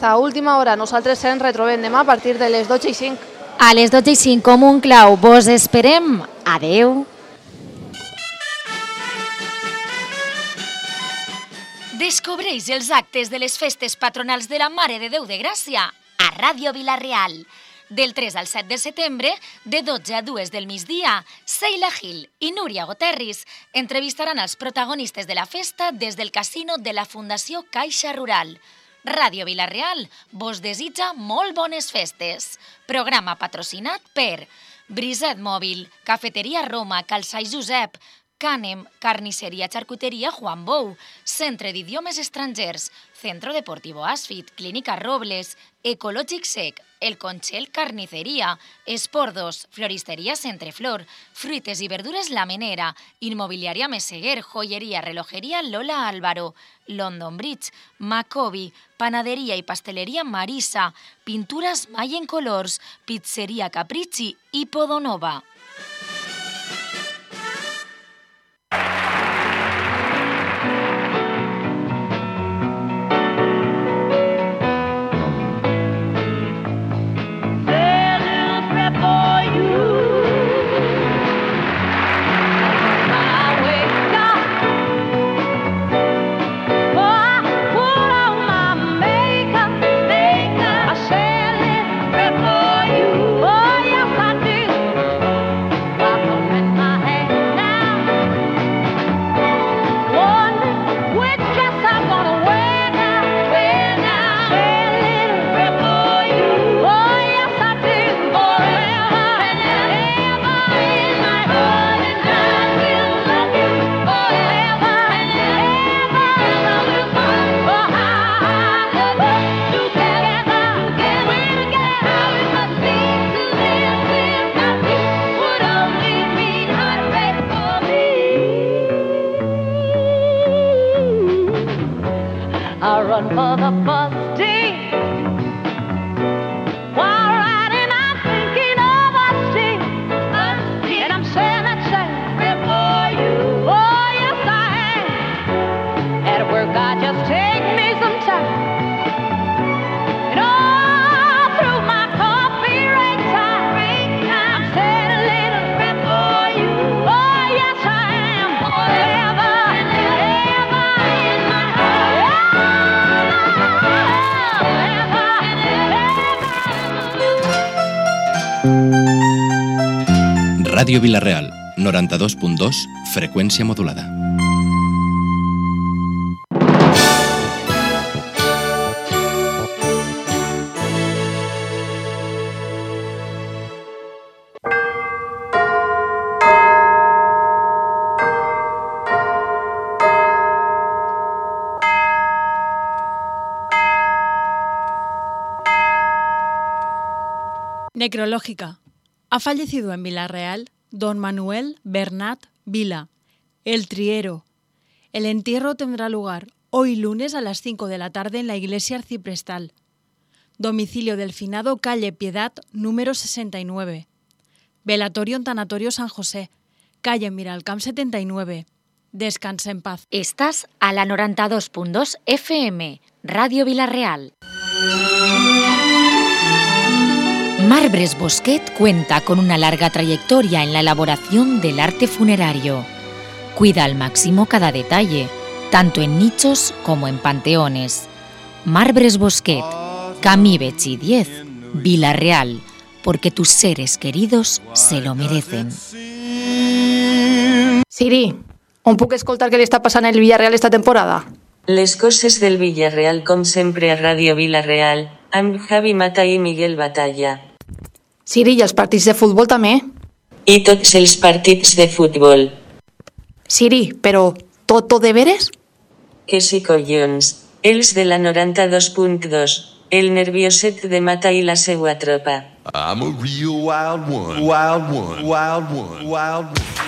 A última hora, nosaltres ens retrobem demà a partir de les 12:05. A les 12:05, com un clau, vos esperem. Adeu. Descobreix els actes de les festes patronals de la Mare de Déu de Gràcia a Ràdio Vila-real. Del 3 al 7 de setembre, de 12 a 2 del migdia, Seila Gil i Núria Goterris entrevistaran els protagonistes de la festa des del casino de la Fundació Caixa Rural. Ràdio Vila-real vos desitja molt bones festes. Programa patrocinat per Briset Mòbil, Cafeteria Roma, Calçai Josep, Cànem, Carnisseria Charcuteria Juan Bou, Centre d'Idiomes Estrangers, Centro Deportivo Asfit, Clínica Robles, Ecològic Sec, El Conxel Carniceria, Espordos, Floristeria Centreflor, Fruites i Verdures La Menera, Inmobiliària Meseguer, Joieria Relojeria Lola Álvaro, London Bridge, Macobi, Panaderia i Pasteleria Marisa, Pintures Mayen Colors, Pizzeria Capricci i Podonova. Ràdio Vila-real, 92.2, freqüència modulada. Necrológica. Ha fallecido en Vila-real don Manuel Bernat Vila, el Triero. El entierro tendrá lugar hoy lunes a las 5 de la tarde en la iglesia arciprestal. Domicilio del finado, calle Piedad, número 69. Velatorio en Tanatorio San José, calle Miralcamp 79. Descansa en paz. Estás a la 92.2 FM, Radio Vila-real. Marbres Bosquet cuenta con una larga trayectoria en la elaboración del arte funerario. Cuida al máximo cada detalle, tanto en nichos como en panteones. Marbres Bosquet, Camí Betxí 10, Vila-real, porque tus seres queridos se lo merecen. Siri, on puc escoltar què li està passant al Villarreal esta temporada? Les coses del Villarreal com sempre a Ràdio Vila-real, amb Javi Mata i Miguel Batalla. Siri, i els partits de futbol també? I tots els partits de futbol. Siri, però tot de veres? Que sí, collons. Els de la 92.2. El nervioset de Mata i la seua tropa. I'm a real wild one. Wild one. Wild one. Wild one.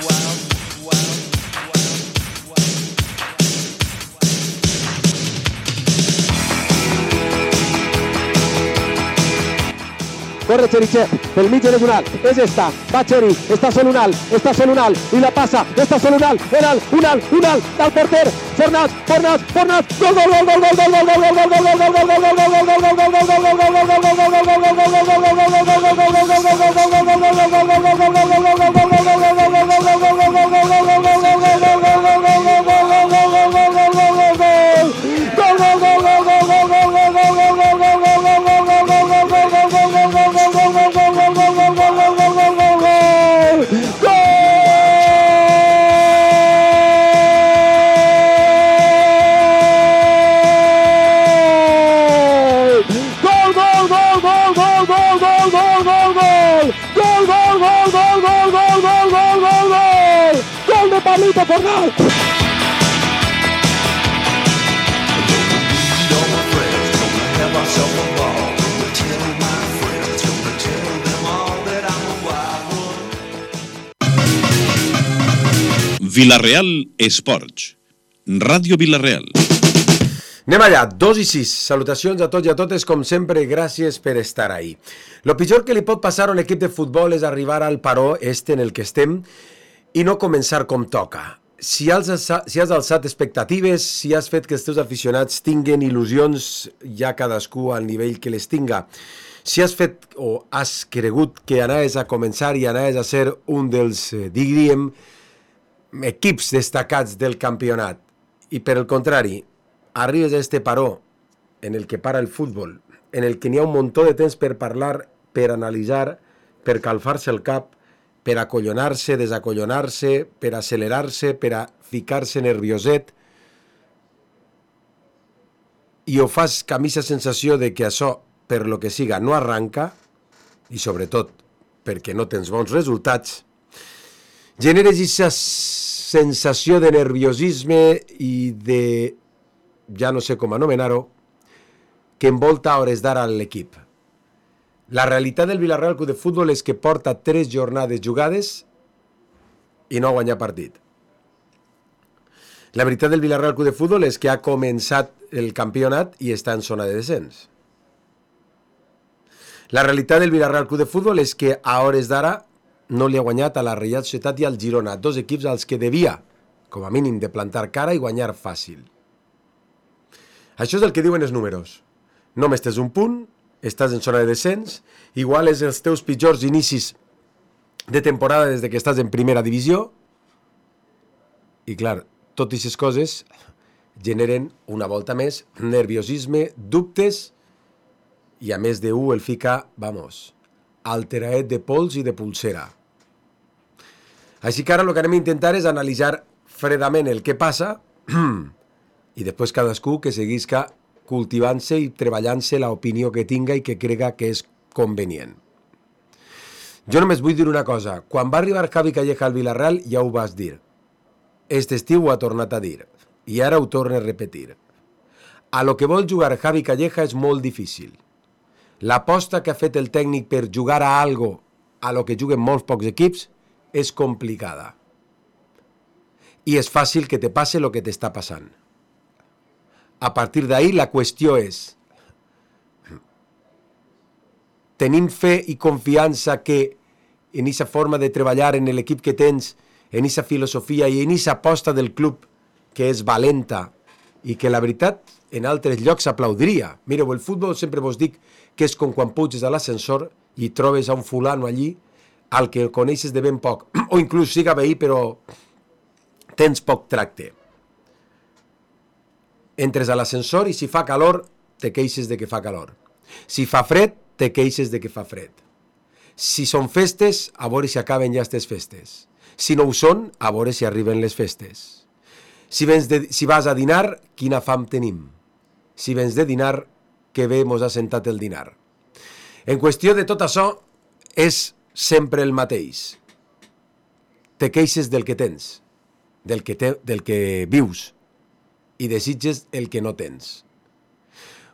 corre Cherichev, pel mig és un alt, és esta, va Cheri, està sol un alt, i la passa, està sol un alt, del porter, Fornals, gol, de Pablito Fornals. Vilareal Esports. Ràdio Vilareal. Anem allà, 2:06. Salutacions a tots i a totes, com sempre, gràcies per estar ahí. Lo pitjor que li pot passar a un equip de futbol és arribar al paró en el que estem i no començar com toca. Si has alçat expectatives, si has fet que els teus aficionats tinguen il·lusions, ja cadascú al nivell que les tinga, si has fet o has cregut que anaves a començar i anaves a ser un dels, diríem, equips destacats del campionat, i per el contrari, arribes a este paró en el que para el futbol, en el que n'hi ha un muntó de temps per parlar, per analitzar, per calfar-se el cap, per acollonar-se, desacollonar-se, per accelerar-se, per a ficar-se nervioset, i ho fas que a mi la sensació de que això, per lo que siga, no arranca, i sobretot perquè no tens bons resultats, generes aquesta sensació de nerviosisme i de, ja no sé com anomenar-ho, que envolta a hores d'ara l'equip. La realitat del Vilareal Club de Futbol és que porta 3 jornades jugades i no ha guanyat partit. La veritat del Vilareal Club de Futbol és que ha començat el campionat i està en zona de descens. La realitat del Vilareal Club de Futbol és que a hores d'ara no li ha guanyat a la Reial Societat i al Girona, 2 equips als que devia, com a mínim, de plantar cara i guanyar fàcil. Això és el que diuen els números. Només tens un punt, estàs en zona de descens, igual és els teus pitjors inicis de temporada des que estàs en primera divisió, i clar, totes aquestes coses generen una volta més nerviosisme, dubtes, i a més d'un el fica, alteraet de pols i de pulsera. Així que ara el que anem a intentar és analitzar fredament el que passa i després cadascú que seguisca cultivant-se i treballant-se l'opinió que tinga i que crega que és convenient. Jo només vull dir una cosa. Quan va arribar Javi Calleja al Vilareal ja ho vas dir. Este estiu ho ha tornat a dir. I ara ho torna a repetir. A lo que vol jugar Javi Calleja és molt difícil. L'aposta que ha fet el tècnic per jugar a algo a lo que juguen molts pocs equips és complicada. I és fàcil que te passe el que t'està passant. A partir d'ahí la qüestió és: tenim fe i confiança que en aquesta forma de treballar en l'equip que tens, en aquesta filosofia i en aquesta aposta del club que és valenta i que la veritat en altres llocs s'aplaudiria. Mireu, el futbol sempre vos dic que és com quan puges a l'ascensor i trobes a un fulano allí al que el coneixes de ben poc, o inclús siga veí però tens poc tracte. Entres a l'ascensor i si fa calor te queixes de que fa calor. Si fa fred te queixes de que fa fred. Si són festes, a veure si acaben ja aquestes festes. Si no ho són, a veure si arriben les festes. Si vas a dinar, quina fam tenim. Si vens de dinar, que bé mos ha sentat el dinar. En qüestió de tot això, és sempre el mateix. Te queixes del que tens, del que vius, i desitges el que no tens.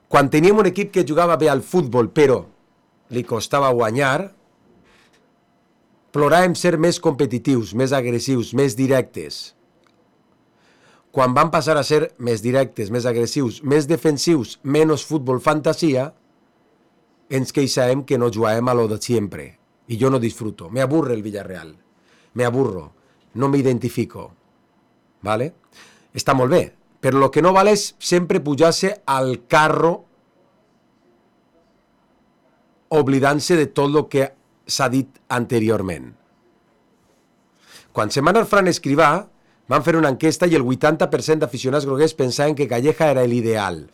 Quan teníem un equip que jugava bé al futbol, però li costava guanyar, ploràvem ser més competitius, més agressius, més directes. Quan van passar a ser més directes, més agressius, més defensius, menys futbol fantasia, ens queixem que no juguem a lo de siempre. Y yo no disfruto. Me aburre el Villarreal. Me aburro. No me identifico. ¿Vale? Està molt bé. Però lo que no val és sempre pujar-se al carro oblidant-se de tot el que s'ha dit anteriorment. Quan se'n va anar Fran Escrivà, van fer una enquesta i el 80% d'aficionats groguers pensaven que Calleja era l'ideal.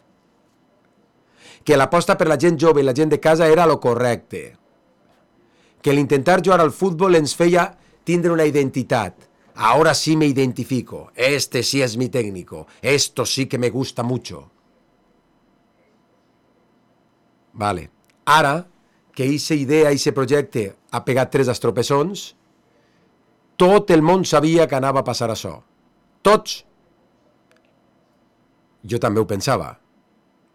Que l'aposta per la gent jove i la gent de casa era lo correcte. Que l'intentar jugar al futbol ens feia tindre una identitat. Ahora sí me identifico. Este sí es mi técnico. Esto sí que me gusta mucho. Vale. Ara, que eixa idea, eixe projecte ha pegat 3 estropessons, tot el món sabia que anava a passar això. Tots. Jo també ho pensava.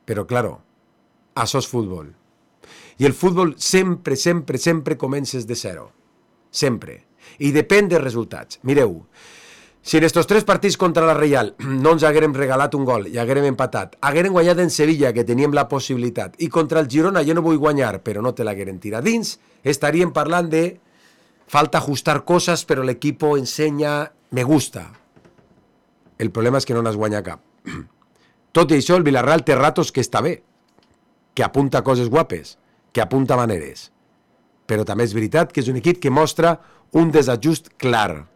Però, claro, això és futbol. I el futbol sempre, sempre, sempre comences de zero. Sempre. I depèn dels resultats. Mireu, si en estos 3 partits contra la Reial no ens haguérem regalat un gol i haguérem empatat, haguérem guanyat en Sevilla, que teníem la possibilitat, i contra el Girona jo no vull guanyar, però no te l'haguérem tirat dins, estaríem parlant de falta ajustar coses, però l'equipo ensenya, me gusta. El problema és que no n'has guanyat cap. Tot i això, el Villarreal té ratos que està bé, que apunta coses guapes, que apunta maneres. Però també és veritat que és un equip que mostra un desajust clar.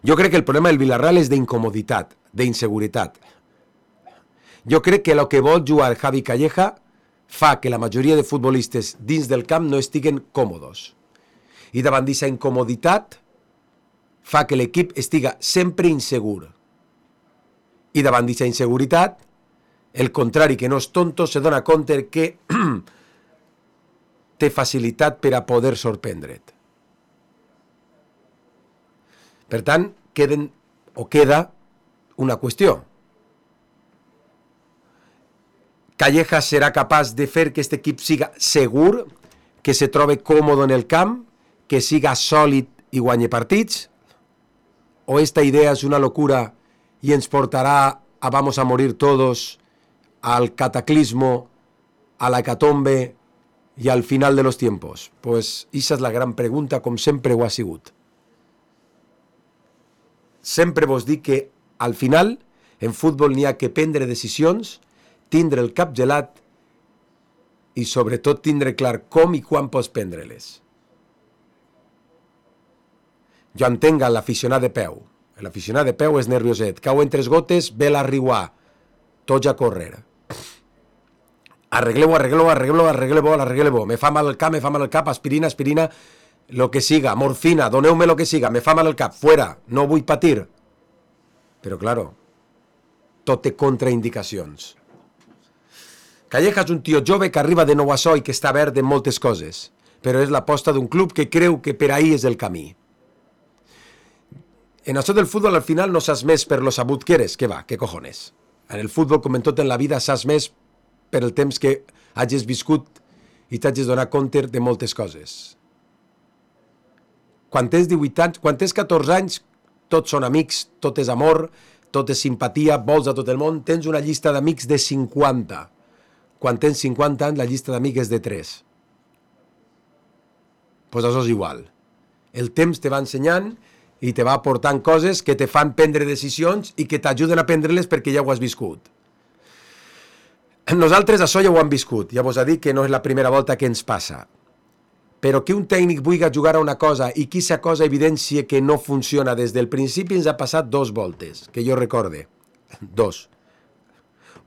Jo crec que el problema del Villarreal és d'incomoditat, d'inseguretat. Jo crec que el que vol jugar Javi Calleja fa que la majoria de futbolistes dins del camp no estiguen còmodes. I davant d'aquesta incomoditat fa que l'equip estiga sempre insegur. I davant d'aquesta inseguretat, el contrari, que no és tonto, se dona compte que té facilitat per a poder sorprendre't. Per tant, queda una qüestió. Calleja serà capaç de fer que aquest equip siga segur, que se trobe còmode en el camp, que siga sòlid i guanyi partits? O esta idea és una locura i ens portarà a vamos a morir todos, al cataclismo, a la hecatombe i al final de los tiempos? Pues esa és la gran pregunta, com sempre ho ha sigut. Sempre vos dic que al final en futbol n'hi ha que prendre decisions, tindre el cap gelat i sobretot tindre clar com i quan pots prendre-les. Jo entenc l'aficionat de peu. L'aficionat de peu és nervioset. Cau en 3 gotes, ve la riuà. Tots a córrer. Arregleu-ho. Me fa mal el cap, aspirina, lo que siga, morfina, doneu-me lo que siga, me fa mal el cap, fuera, no vull patir. Però, claro, tot té contraindicacions. Calleja és un tio jove que arriba de nou a so i que està verd en moltes coses, però és l'aposta d'un club que creu que per ahí és el camí. En això del futbol al final no saps més per lo sabut que eres, que va, que cojones. En el futbol, com en tot en la vida, saps més per el temps que hagis viscut i t'hagis donat compte de moltes coses. Quan tens 18 anys, quan tens 14 anys, tots són amics, tot és amor, tot és simpatia, vols a tot el món, tens una llista d'amics de 50. Quan tens 50 anys, la llista d'amics és de 3. Pues això és igual. El temps te va ensenyant i te va aportant coses que te fan prendre decisions i que t'ajuden a prendre-les perquè ja ho has viscut. Nosaltres això ja ho hem viscut, ja vos ha dit que no és la primera volta que ens passa. Però que un tècnic vulgui jugar a una cosa i que aquesta cosa evidència que no funciona des del principi ens ha passat 2 voltes, que jo recorde. 2.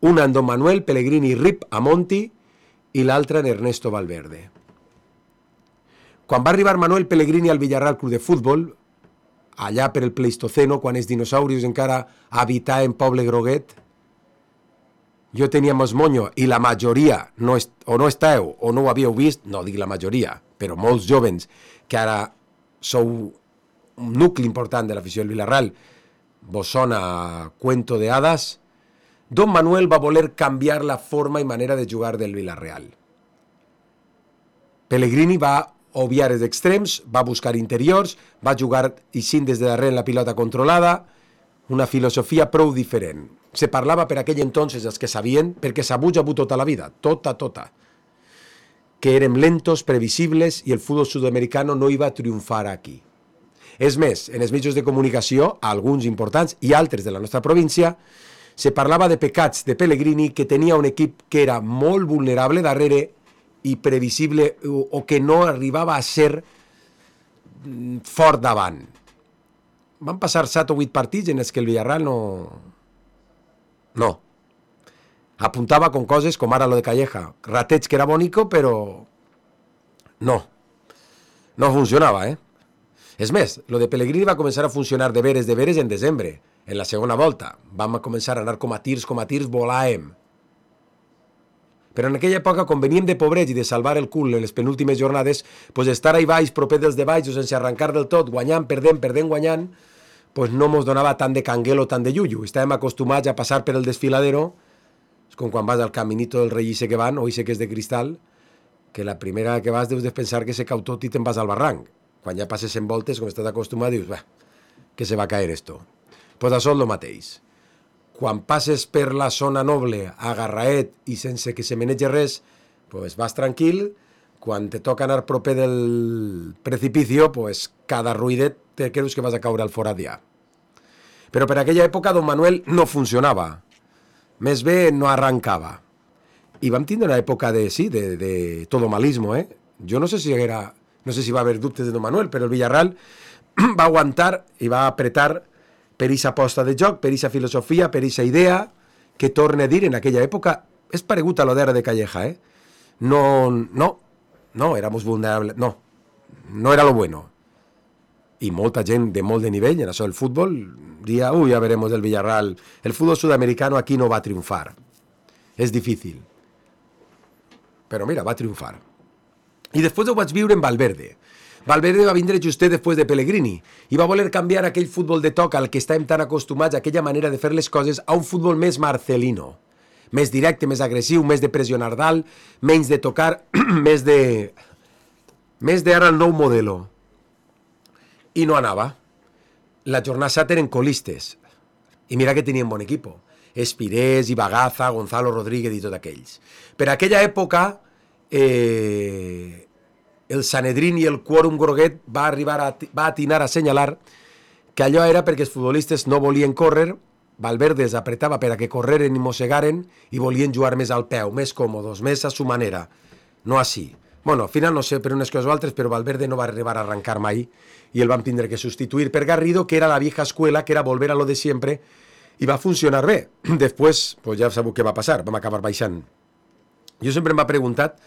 Una en Don Manuel Pellegrini Rip a Monti i l'altra en Ernesto Valverde. Quan va arribar Manuel Pellegrini al Villarreal Club de Futbol, allà per el Pleistoceno, quan els dinosaurios encara habitaven Poble Groguet, jo tenia més monyo i la majoria no estàveu o no ho havíeu vist, no dic la majoria, però molts jovens que ara sou un nucli important de l'afició del Villarreal, vos sona cuento de hadas, Don Manuel va voler canviar la forma i manera de jugar del Villarreal. Pellegrini va obviar els extrems, va buscar interiors, va jugar ixint des de darrere en la pilota controlada, una filosofia prou diferent. Se parlava per aquell entonces els que sabien, perquè s'ha hagut tota la vida, tota. que érem lentos, previsibles, i el futbol sud-americano no iba a triomfar aquí. És més, en els mitjans de comunicació, alguns importants i altres de la nostra província, se parlava de pecats de Pellegrini, que tenia un equip que era molt vulnerable darrere i previsible, o que no arribava a ser fort davant. Van passar 7 o 8 partits en els que el Villarreal no. Apuntava con coses com ara lo de Calleja. Rateig que era bonico, però no funcionava, És més, lo de Pellegrini va començar a funcionar de veres en desembre, en la segona volta. Vam començar a anar com a tirs, volàvem. Però en aquella època, com veníem de pobrets i de salvar el cul en les penúltimes jornades, pues estar ahí baix, proper dels de baix, o sense arrencar del tot, guanyant, perdent, guanyant, pues no mos donava tant de canguel o tant de yuyu. Estàvem acostumats a passar per el desfiladero, és com quan vas al caminito del rei ese que van, o ese que és de cristal, que la primera que vas deus de pensar que se cau tot i te'n vas al barranc. Quan ja passes en voltes, com estàs acostumat, dius, que se va caer esto. Pues això és el mateix. Quan passes per la zona noble, agarraet i sense que se menege res, pues vas tranquil. Quan te toca anar proper del precipicio, pues cada ruïdet te creus que vas a caure al forat ja. Però per aquella època Don Manuel no funcionava. Més bé no arrancava. I vam tindre una època de todomalismo, Jo no sé si va haver dubtes de Don Manuel, però el Villarreal va aguantar i va apretar per aquesta aposta de joc, per aquesta filosofia, per aquesta idea, que torna a dir en aquella època, és paregut a lo d'ara de Calleja, No, éramos vulnerables, no era lo bueno. I molta gent de molt de nivell en això del futbol diria, ja veremos del Villarreal, el futbol sudamericano aquí no va a triomfar, és difícil. Però mira, va triomfar. I després ho vaig viure en Valverde. Valverde va vindre justet després de Pellegrini i va voler canviar aquell futbol de toc al que estàvem tan acostumats, aquella manera de fer les coses, a un futbol més marcelino, més directe, més agressiu, més de pressionar dalt, menys de tocar, més de ara el nou modelo. I no anava. La jornada 7 eren colistes. I mira que tenien bon equip. Espirés, Ibagaza, Gonzalo Rodríguez i tots aquells. Per aquella època, el Sanedrín i el quòrum groguet va atinar a assenyalar que allò era perquè els futbolistes no volien córrer, Valverde els apretava per a que correren i mossegaren i volien jugar més al peu, més còmodos, més a su manera, no així. Bueno, al final no sé per unes coses o altres, però Valverde no va arribar a arrencar mai i el van tindre que substituir per Garrido, que era la vieja escuela, que era volver a lo de siempre, i va funcionar bé. Després, pues ja sabeu què va passar, vam acabar baixant. Jo sempre m'ha preguntat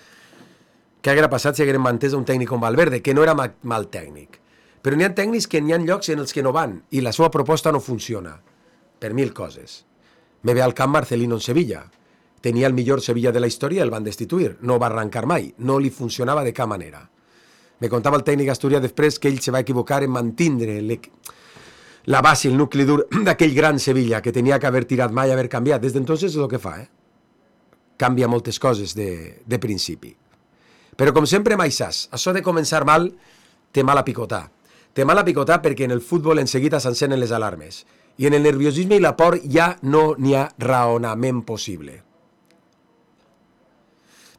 què haguera passat si haguérem mantès un tècnic com Valverde, que no era mal tècnic. Però n'hi ha tècnics que n'hi ha llocs en els que no van i la seva proposta no funciona, per 1000 coses. Me ve al camp Marcelino en Sevilla. Tenia el millor Sevilla de la història i el van destituir. No va arrencar mai, no li funcionava de cap manera. Me contava el tècnic Asturias després que ell se va equivocar en mantindre la base, el nucli dur d'aquell gran Sevilla que tenia que haver tirat mai, haver canviat. Des d'entonces és el que fa, Canvia moltes coses de principi. Però com sempre mai saps, això de començar mal té mal a picotar. Té mal a picotar perquè en el futbol en seguida s'encenen les alarmes. I en el nerviosisme i la por ja no n'hi ha raonament possible.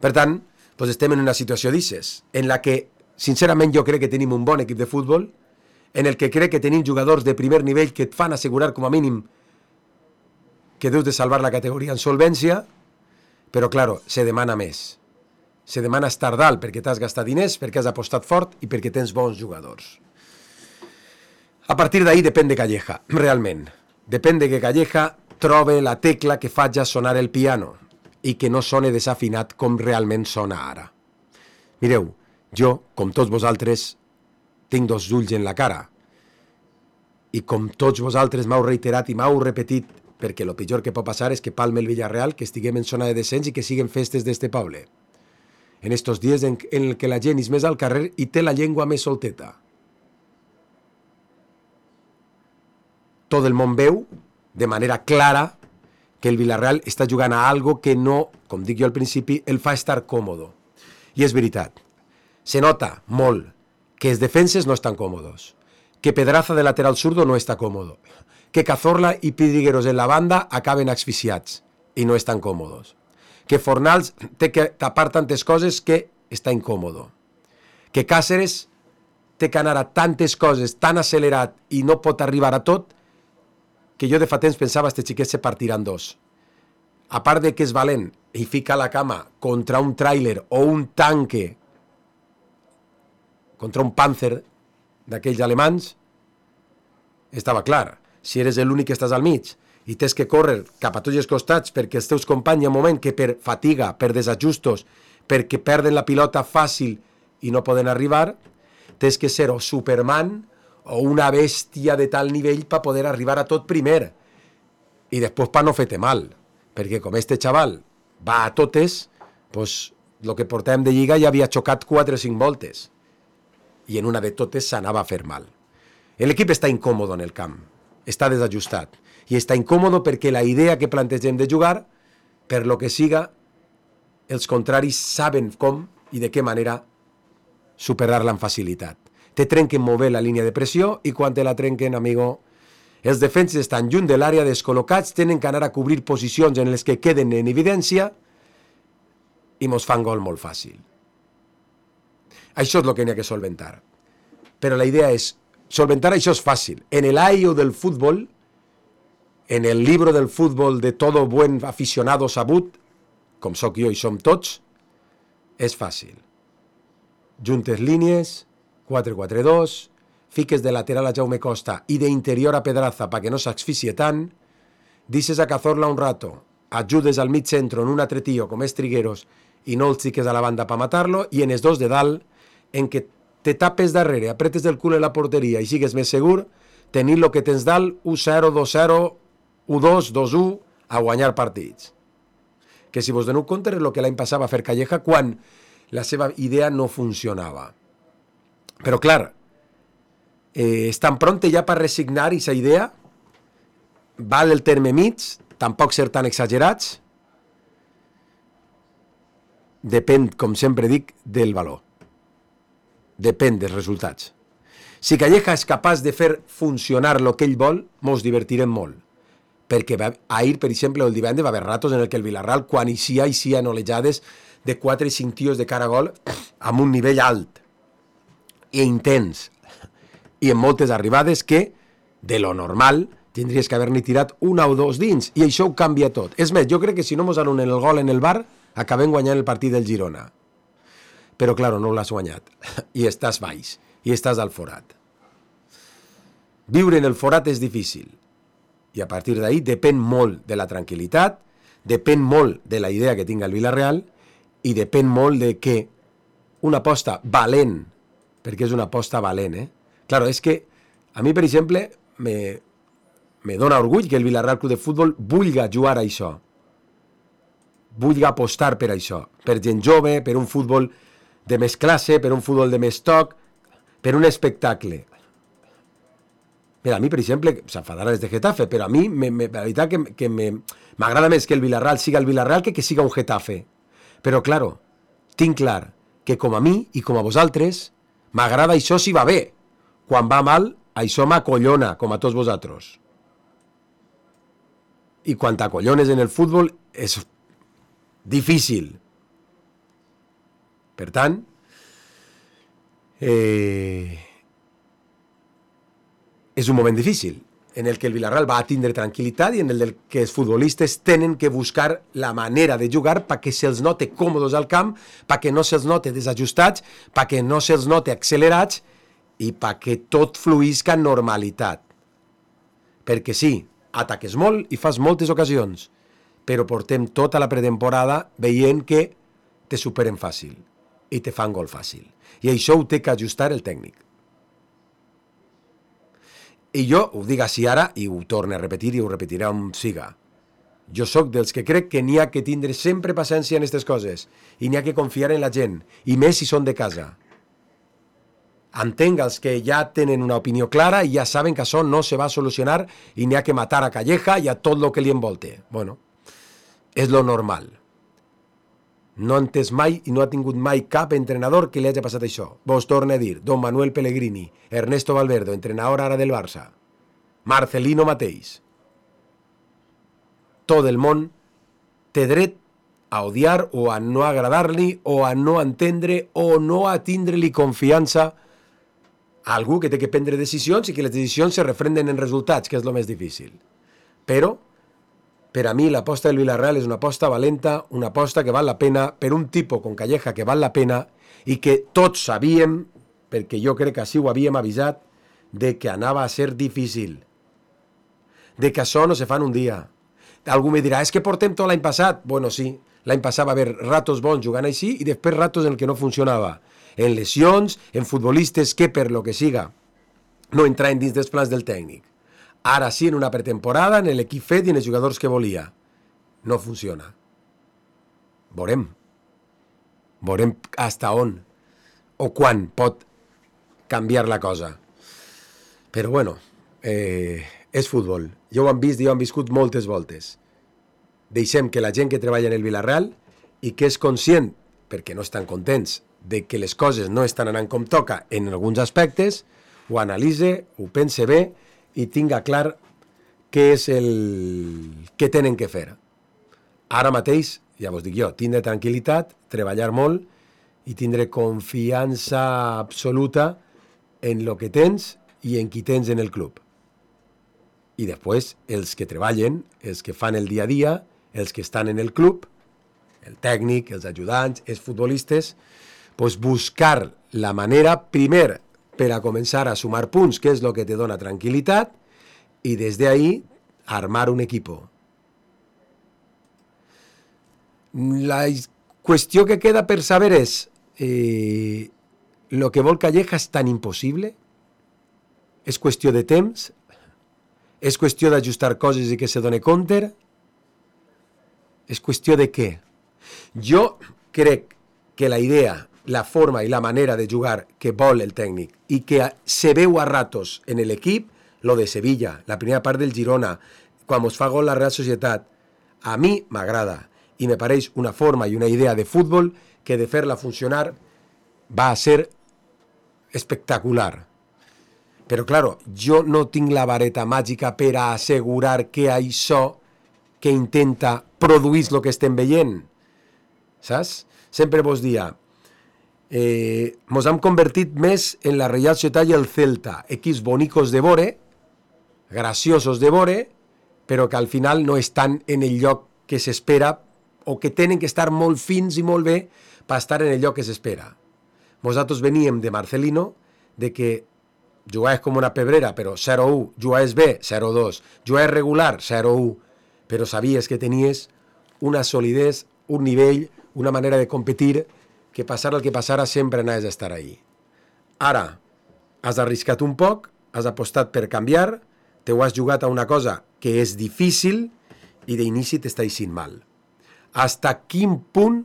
Per tant, doncs estem en una situació d'ixes, en la que, sincerament, jo crec que tenim un bon equip de futbol, en el que crec que tenim jugadors de primer nivell que et fan assegurar com a mínim que deus de salvar la categoria en solvència, però, claro, se demana més. Se demana estar dalt perquè t'has gastat diners, perquè has apostat fort i perquè tens bons jugadors. A partir d'ahí depèn de Calleja, realment. Depèn de que Calleja trobe la tecla que faci sonar el piano i que no sone desafinat com realment sona ara. Mireu, jo, com tots vosaltres, tinc 2 ulls en la cara. I com tots vosaltres m'heu reiterat i m'heu repetit, perquè el pitjor que pot passar és que palme el Villarreal, que estiguem en zona de descens i que siguen festes d'este poble. En estos dies en el que la gent és més al carrer i té la llengua més solteta. Tot el món veu, de manera clara, que el Villarreal està jugant a algo que no, com dic jo al principi, el fa estar còmodo. I és veritat. Se nota molt que els defenses no estan còmodos, que Pedraza de lateral zurdo no està còmodo, que Cazorla i Pidrigueros en la banda acaben asfixiats i no estan còmodos, que Fornals té que tapar tantes coses que està incòmodo. Que Càceres té que anar a tantes coses, tan accelerat i no pot arribar a tot, que jo de fa temps pensava que este xiquet se partirà en dos. A part de que és valent i fica la cama contra un tràiler o un tanque, contra un Panzer d'aquells alemans, estava clar. Si eres l'únic que estàs al mig i tens que córrer cap a tots els costats perquè els teus companys hi ha un moment que per fatiga, per desajustos, perquè perden la pilota fàcil i no poden arribar, tens que ser o Superman o una bèstia de tal nivell per poder arribar a tot primer. I després per no fer-te mal, perquè com este xaval va a totes, doncs el que portàvem de lliga ja havia xocat 4 o 5 voltes. I en una de totes s'anava a fer mal. L'equip està incòmode en el camp, està desajustat. I està incòmode perquè la idea que plantegem de jugar, per lo que siga, els contraris saben com i de què manera superar-la amb facilitat. Te trenquen molt bé la línia de pressió i quan te la trenquen, amigo, els defenses estan lluny de l'àrea, descol·locats, tenen que anar a cobrir posicions en les que queden en evidència i mos fan gol molt fàcil. Això és el que n'hi ha que solventar. Però la idea és, solventar això és fàcil. En el AIO del futbol, en el libro del futbol de todo buen aficionado sabut, com sóc jo i som tots, és fàcil. Juntes línies, 4-4-2, fiques de lateral a Jaume Costa i d'interior a Pedraza perquè no s'asfixie tant, dices a Cazorla un rato, ajudes al mig centro en un altre tio com és Trigueros i no els fiques a la banda per matar-lo, i en els dos de dalt, en què te tapes darrere, apretes del cul en la porteria i sigues més segur, tenir lo que tens dalt, 1-0, 2-0, 1-2, 2-1, a guanyar partits. Que si vos doneu compte és el que l'any passat va fer Calleja quan la seva idea no funcionava. Però clar, estan pronte ja per resignar aquesta idea, val el terme mig, tampoc ser tan exagerats, depèn, com sempre dic, del valor. Depèn dels resultats. Si Calleja és capaç de fer funcionar el que ell vol, mos divertirem molt. Perquè ahir, per exemple, el divendres va haver ratos en el que el Villarreal, quan eixia en olejades de 4 i 5 tios de cara a gol, amb un nivell alt i intens, i en moltes arribades que, de lo normal, tindries que haver-n'hi tirat una o dos dins, i això ho canvia tot. És més, jo crec que si no mos anulen el gol en el bar, acabem guanyant el partit del Girona. Però, claro, no l'has guanyat. I estàs baix. I estàs al forat. Viure en el forat és difícil. I a partir d'ahí depèn molt de la tranquil·litat, depèn molt de la idea que tinga el Villarreal i depèn molt de que una aposta valent, perquè és una aposta valent, Claro, és que a mi, per exemple, me dona orgull que el Villarreal Club de Futbol vulga jugar a això. Vulga apostar per això. Per gent jove, per un futbol de més classe, per un futbol de més toc, per un espectacle. Mira, a mi, per exemple, s'enfadarà des de Getafe, però a mi, la veritat que m'agrada més que el Villarreal siga el Villarreal que siga un Getafe. Però, claro, tinc clar que com a mi i com a vosaltres, m'agrada això si va bé. Quan va mal, això m'acollona, com a tots vosaltres. I quan t'acollones en el futbol és difícil. Per tant, és un moment difícil en el que el Villarreal va a tindre tranquil·litat i en el que els futbolistes tenen que buscar la manera de jugar perquè se'ls note còmodes al camp, perquè no se'ls note desajustats, perquè no se'ls note accelerats i perquè tot fluïsca en normalitat. Perquè sí, ataques molt i fas moltes ocasions, però portem tota la pretemporada veient que te superen fàcil i te fan gol fàcil. I això ho té que ajustar el tècnic. I jo ho dic així ara i ho torno a repetir i ho repetiré on siga. Jo sóc dels que crec que n'hi ha que tindre sempre paciència en aquestes coses i n'hi ha que confiar en la gent, i més si són de casa. Entenc els que ja tenen una opinió clara i ja saben que això no se va a solucionar i n'hi ha que matar a Calleja i a tot el que li envolte. Bueno, és lo normal. No ha entès mai i no ha tingut mai cap entrenador que li hagi passat això. Vos torno a dir, Don Manuel Pellegrini, Ernesto Valverde, entrenador ara del Barça, Marcelino mateix. Tot el món té dret a odiar o a no agradar-li o a no entendre o no a tindre-li confiança a algú que té que prendre decisions i que les decisions se refrenden en resultats, que és el més difícil. Però, per a mi, l'aposta del Villarreal és una aposta valenta, una aposta que val la pena, per un tipus com Calleja que val la pena i que tots sabíem, perquè jo crec que així ho havíem avisat, de que anava a ser difícil, de que això no se fa en un dia. Algú me dirà, és que portem tot l'any passat. Bueno, sí, l'any passat va haver ratos bons jugant així i després ratos en què no funcionava. En lesions, en futbolistes que per lo que siga no entraven dins dels plans del tècnic. Ara sí, en una pretemporada, en l'equip fet i en els jugadors que volia. No funciona. Veurem. Veurem hasta on o quan pot canviar la cosa. Però bueno, és futbol. Ja ho han vist i ho han viscut moltes voltes. Deixem que la gent que treballa en el Villarreal i que és conscient, perquè no estan contents, de que les coses no estan anant com toca en alguns aspectes, ho analitze, ho pense bé i tinga clar què és el que tenen que fer. Ara mateix, ja vos dic jo, tindre tranquil·litat, treballar molt i tindre confiança absoluta en lo que tens i en qui tens en el club. I després, els que treballen, els que fan el dia a dia, els que estan en el club, el tècnic, els ajudants, els futbolistes, pues buscar la manera, primer, per a començar a sumar punts, que és el que te dona tranquil·litat, i des d'ahí armar un equipo. La qüestió que queda per saber és lo que vol Calleja és tan impossible? És qüestió de temps? És qüestió d'ajustar coses i que se doni compte? És qüestió de què? Jo crec que la idea, la forma i la manera de jugar que vol el tècnic i que se veu a ratos en l'equip, lo de Sevilla, la primera part del Girona, quan es fa gol la Real Societat, a mi m'agrada i me pareix una forma i una idea de futbol que de fer-la funcionar va a ser espectacular. Però, claro, jo no tinc la vareta màgica per a assegurar que això que intenta produir el que estem veient. Saps? Sempre vos dia, mos hem convertit més en la Real Societat i el Celta, equips bonicos de vore, graciosos de vore, però que al final no estan en el lloc que s'espera o que tenen que estar molt fins i molt bé per estar en el lloc que s'espera. Nosaltres veníem de Marcelino, de que jugaves com una pebrera, però 0-1, jugaves bé, 0-2, jugaves regular, 0-1, però sabies que tenies una solidesa, un nivell, una manera de competir, que passara el que passara sempre anaves a estar ahí. Ara, has arriscat un poc, has apostat per canviar, te ho has jugat a una cosa que és difícil i d'inici t'està eixint mal. Hasta quin punt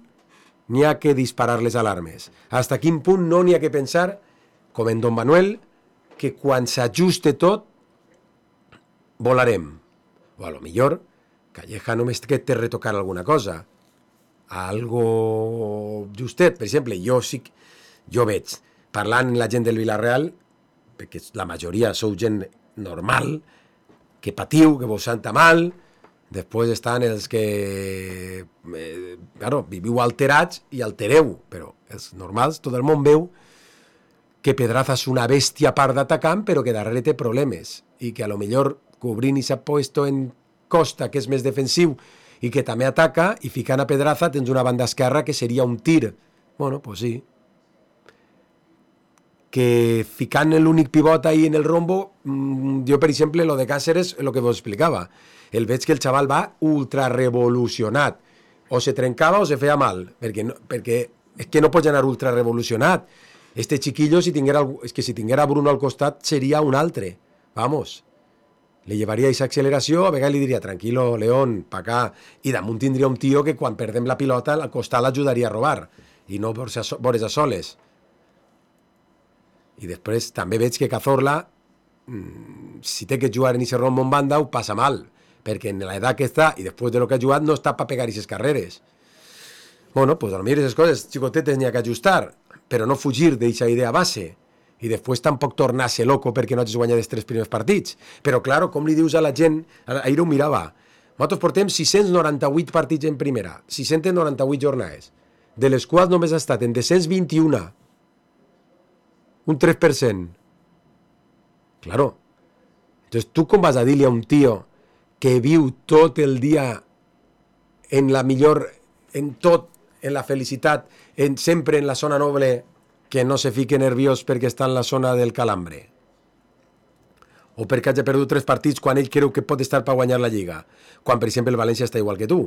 n'hi ha que disparar les alarmes? Hasta quin punt no n'hi ha que pensar, com en Don Manuel, que quan s'ajuste tot, volarem. O a lo millor, Calleja només que té retocar alguna cosa. Algo justet. Per exemple, jo veig, parlant amb la gent del Villarreal, perquè la majoria sou gent normal, que patiu, que vos senta mal, després estan els que claro, viviu alterats i altereu, però els normals, tot el món veu que Pedraza és una bèstia part d'atacant, però que darrere té problemes, i que a lo millor Cobrini s'ha puesto en Costa, que és més defensiu, i que també ataca, i ficant a Pedraza tens una banda esquerra que seria un tir. Bueno, pues sí. Que ficant l'únic pivot ahí en el rombo, jo, per exemple, lo de Cáceres, lo que vos explicava. El veig que el xaval va ultra revolucionat. O se trencava o se feia mal, perquè és que no pots anar ultra revolucionat. Este chiquillo, si tinguera Bruno al costat, seria un altre. Vamos. Le llevaria aquesta acceleració, a vegades li diria, tranquilo, León, pa acá, i damunt tindria un tio que quan perdem la pilota al costat l'ajudaria a robar, i no vores a soles. I després també veig que Cazorla, si té que jugar en aquest rombo en banda, ho passa mal, perquè en l'edat que està, i després de lo que ha jugat, no està per pegar aquestes carreres. Bueno, pues a lo millor aquestes coses xicotetes n'hi ha que ajustar, però no fugir d'aquesta idea base, i després tampoc tornar-se loco perquè no hagis guanyat els 3 primers partits. Però, claro, com li dius a la gent, ahir ho mirava, Nosaltres portem 698 partits en primera, 698 jornades, de les quals només ha estat en descens 21, un 3%. Claro. Entonces, tu com vas a dir-li a un tio que viu tot el dia en la millor, en tot, en la felicitat, sempre en la zona noble, que no se fique nerviós perquè està en la zona del calambre? O perquè hagi perdut 3 partits quan ell creu que pot estar per guanyar la Lliga, quan, per exemple, el València està igual que tu.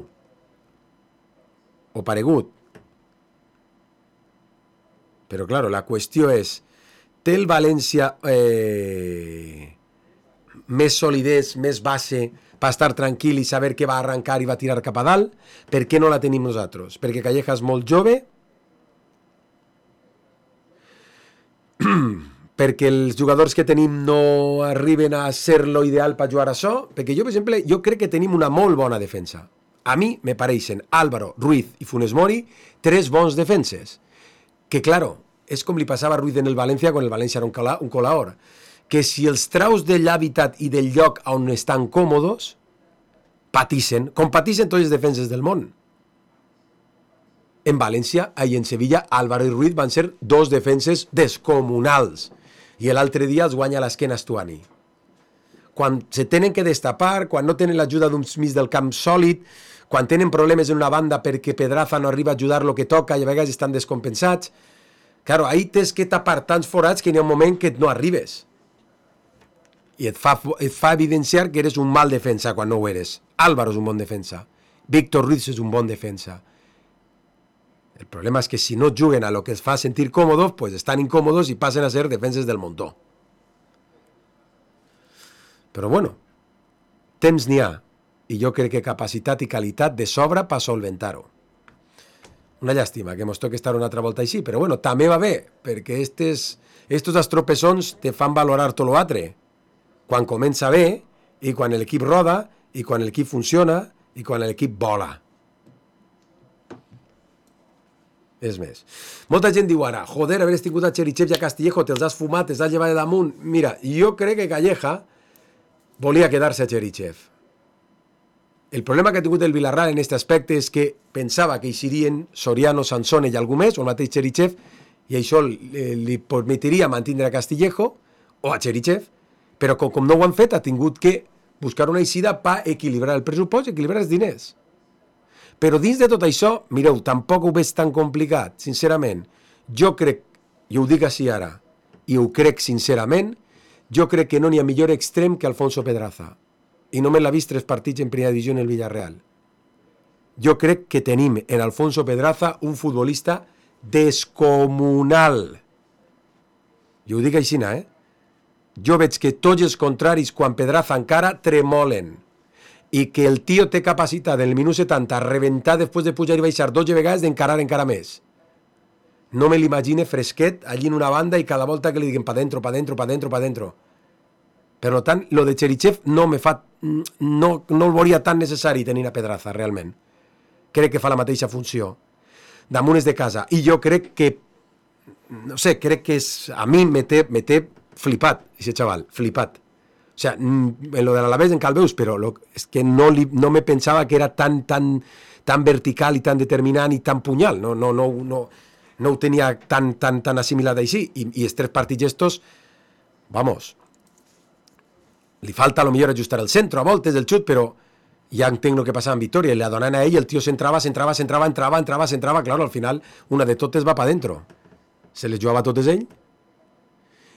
O paregut. Però, claro, la qüestió és, té el València més solidesa, més base, per estar tranquil i saber que va arrencar i va tirar cap a dalt? Per què no la tenim nosaltres? Perquè Calleja és molt jove? Perquè els jugadors que tenim no arriben a ser lo ideal per jugar a això? Perquè jo, per exemple, jo crec que tenim una molt bona defensa. A mi me pareixen Álvaro, Ruiz i Funes Mori 3 bons defenses. Que, claro, és com li passava a Ruiz en el València quan el València era un colaor. Que si els traus de l'hàbitat i del lloc on estan còmodes, patixen, com patixen tots els defenses del món. En València i en Sevilla, Álvaro i Ruiz van ser 2 defenses descomunals. I l'altre dia els guanya l'esquena Stuani. Quan se tenen que destapar, quan no tenen l'ajuda d'un mig del camp sòlid, quan tenen problemes en una banda perquè Pedraza no arriba a ajudar el que toca i a vegades estan descompensats, claro, ahí tens que tapar tants forats que hi ha un moment que no arribes. I et fa evidenciar que eres un mal defensa quan no ho eres. Álvaro és un bon defensa. Víctor Ruiz és un bon defensa. El problema és que si no juguen a lo que els fa sentir còmodos, pues estan incòmodos i passen a ser defenses del muntó. Però bueno, temps n'hi ha, i jo crec que capacitat i qualitat de sobra per solventar-ho. Una llàstima que mos toqui estar una altra volta així, però bueno, també va bé, perquè estos estropeçons te fan valorar tot l'altre. Quan comença bé, i quan l'equip roda, i quan l'equip funciona, i quan l'equip vola. És més. Molta gent diu ara, joder, haver tingut a Cherichev i a Castillejo, te'ls has fumat, te'ls has llevat de damunt. Mira, jo crec que Calleja volia quedar-se a Cherichev. El problema que ha tingut el Villarreal en aquest aspecte és que pensava que hi serien Soriano, Sansone i algú més, o el mateix Cherichev, i això li permetiria mantindre a Castillejo o a Cherichev, però com no ho han fet, ha tingut que buscar una eixida per equilibrar el pressupost i equilibrar els diners. Però dins de tot això, mireu, tampoc ho veig tan complicat, sincerament. Jo crec, i ho dic així ara, i ho crec sincerament, jo crec que no n'hi ha millor extrem que Alfonso Pedraza. I només l'ha vist 3 partits en primera divisió en el Villarreal. Jo crec que tenim en Alfonso Pedraza un futbolista descomunal. I ho dic així, Jo veig que tots els contraris, quan Pedraza encara, tremolen. I que el tio té capacitat en el minut 70 a reventar després de pujar i baixar 12 vegades d'encarar encara més. No me l'imagine fresquet allí en una banda i cada volta que li diguen pa dentro, pa dentro, pa dentro, pa dentro. Per tant, lo de Cherichev no el veuria tan necessari tenir a Pedraza, realment. Crec que fa la mateixa funció. Damunt és de casa. I jo crec que, no sé, crec que a mi me té flipat, aquest xaval, flipat. O sea, en lo de l'Alavés encara el veus, però és que no me pensava que era tan vertical i tan determinant i tan punyal. No ho tenia tan assimilat així. I els 3 partits estos, vamos, li falta a lo millor ajustar el centre a voltes del xut, però ja entenc el que passava en Vitòria, i la donen a ell, el tio s'entrava, claro, al final una de totes va pa dentro. Se les jugava totes ell.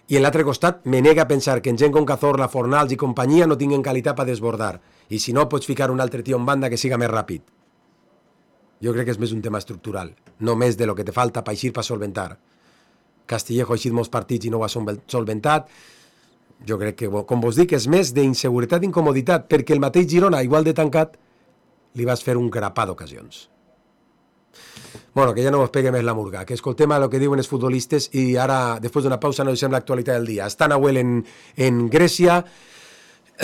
I en l'altre costat me nega a pensar que en gent com Cazorla, Fornals i companyia no tinguen qualitat per desbordar. I si no, pots ficar un altre tio en banda que siga més ràpid. Jo crec que és més un tema estructural, no més de lo que te falta per eixir per solventar. Castillejo ha eixit molts partits i no ho ha solventat. Jo crec que, com vos dic, és més d'inseguretat i incomoditat, perquè el mateix Girona, igual de tancat, li vas fer un grapà d'ocasions. Bueno, que ja no us pegue més la murga, que escoltem el que diuen els futbolistes i ara, després d'una pausa, analitzem l'actualitat del dia. Està Nahuel en Grècia,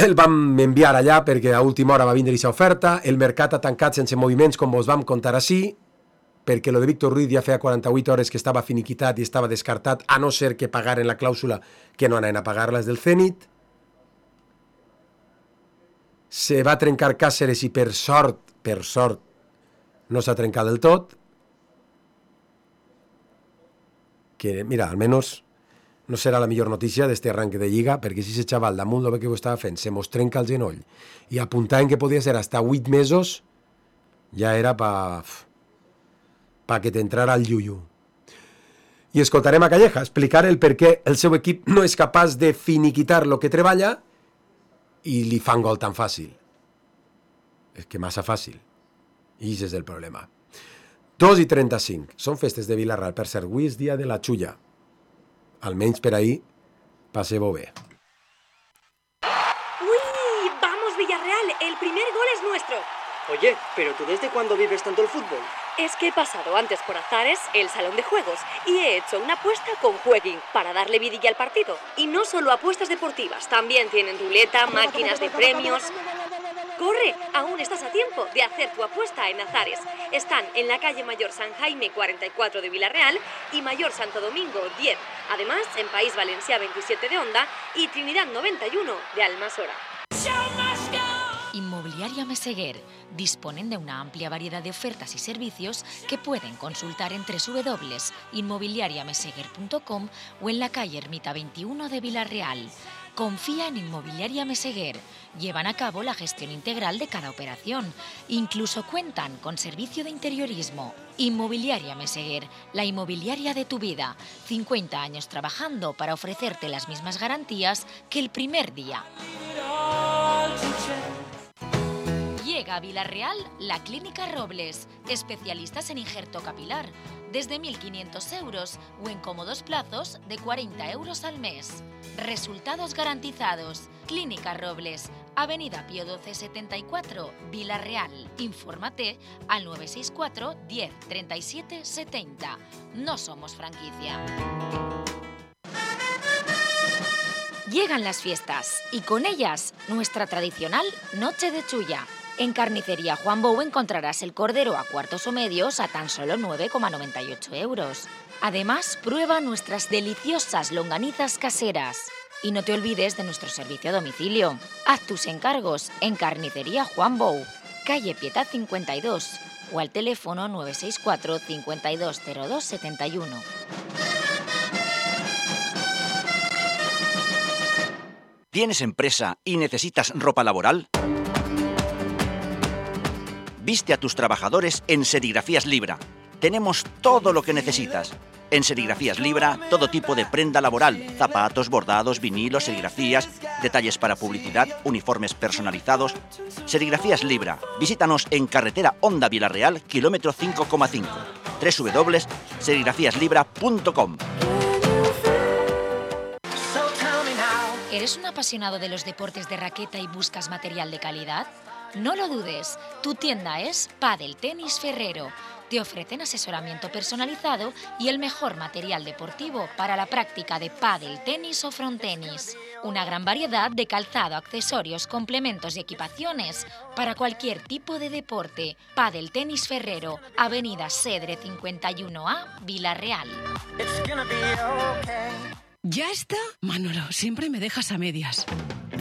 el vam enviar allà perquè a última hora va vindre aquesta oferta, el mercat ha tancat sense moviments, com vos vam contar així, perquè lo de Víctor Ruiz ja feia 48 hores que estava finiquitat i estava descartat, a no ser que pagaren la clàusula que no anaven a pagar-les del Zenit. Se va trencar Càceres i per sort, no s'ha trencat del tot. Que, mira, almenys no serà la millor notícia d'este arranque de Lliga, perquè si ese xaval damunt el que ho estava fent se mos trenca el genoll i apuntaven que podia ser hasta 8 mesos, ja era pa que t'entrara el llullo. I escoltarem a Calleja explicar el per què el seu equip no és capaç de finiquitar lo que treballa i li fan gol tan fàcil. És que massa fàcil. I això és el problema. 2:35. Són festes de Vila-real. Per cert, avui és dia de la xulla. Almenys per ahí, passeu-ho bé. ¡Uy! ¡Vamos, Villarreal! ¡El primer gol es nuestro! Oye, ¿pero tú desde cuándo vives tanto el fútbol? Es que he pasado antes por Azares, el salón de juegos, y he hecho una apuesta con Jueguin para darle vidilla al partido. Y no solo apuestas deportivas, también tienen ruleta, máquinas de premios... ¡Corre! Aún estás a tiempo de hacer tu apuesta en Azares. Están en la calle Mayor San Jaime 44 de Vila-real y Mayor Santo Domingo 10. Además, en País Valencià 27 de Onda y Trinidad 91 de Almasora. Inmobiliaria Meseguer. Disponen de una amplia variedad de ofertas y servicios que pueden consultar en www.inmobiliariameseguer.com o en la calle Ermita 21 de Vila-real. Confía en Inmobiliaria Meseguer. Llevan a cabo la gestión integral de cada operación. Incluso cuentan con servicio de interiorismo. Inmobiliaria Meseguer, la inmobiliaria de tu vida. 50 años trabajando para ofrecerte las mismas garantías que el primer día. Llega a Vila-real la Clínica Robles, especialistas en injerto capilar, desde 1.500 euros o en cómodos plazos de 40 euros al mes. Resultados garantizados. Clínica Robles, Avenida Pío XII 74, Vila-real. Infórmate al 964 10 37 70. No somos franquicia. Llegan las fiestas y con ellas nuestra tradicional Noche de Chulla. En Carnicería Juan Bou encontrarás el cordero a cuartos o medios a tan solo 9,98 euros. Además, prueba nuestras deliciosas longanizas caseras. Y no te olvides de nuestro servicio a domicilio. Haz tus encargos en Carnicería Juan Bou, calle Pietà 52 o al teléfono 964 5202 71. ¿Tienes empresa y necesitas ropa laboral? Viste a tus trabajadores en Serigrafías Libra. Tenemos todo lo que necesitas. En Serigrafías Libra, todo tipo de prenda laboral, zapatos, bordados, vinilos, serigrafías, detalles para publicidad, uniformes personalizados. Serigrafías Libra. Visítanos en carretera Onda Vila-real, kilómetro 5,5. www.serigrafíaslibra.com. ¿Eres un apasionado de los deportes de raqueta y buscas material de calidad? No lo dudes, tu tienda es Padel Tenis Ferrero. Te ofrecen asesoramiento personalizado y el mejor material deportivo para la práctica de pádel, tenis o frontenis. Una gran variedad de calzado, accesorios, complementos y equipaciones para cualquier tipo de deporte. Padel Tenis Ferrero, Avenida Cedre 51A, Vila-real. ¿Ya está? Manolo, siempre me dejas a medias.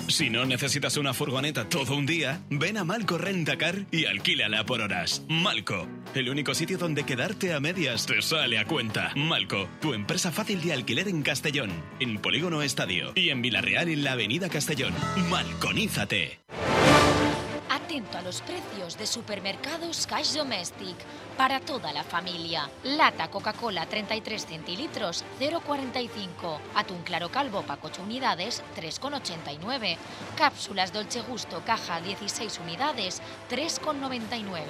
Si no necesitas una furgoneta todo un día, ven a Malco Rentacar y alquílala por horas. Malco, el único sitio donde quedarte a medias te sale a cuenta. Malco, tu empresa fácil de alquiler en Castellón, en Polígono Estadio y en Vila-real en la Avenida Castellón. Malconízate. Atento a los precios de Supermercados Cash Domestic para toda la familia. Lata Coca-Cola 33 centilitros 0,45. Atún claro calvo pack 8 unidades 3,89. Cápsulas Dolce Gusto caja 16 unidades 3,99.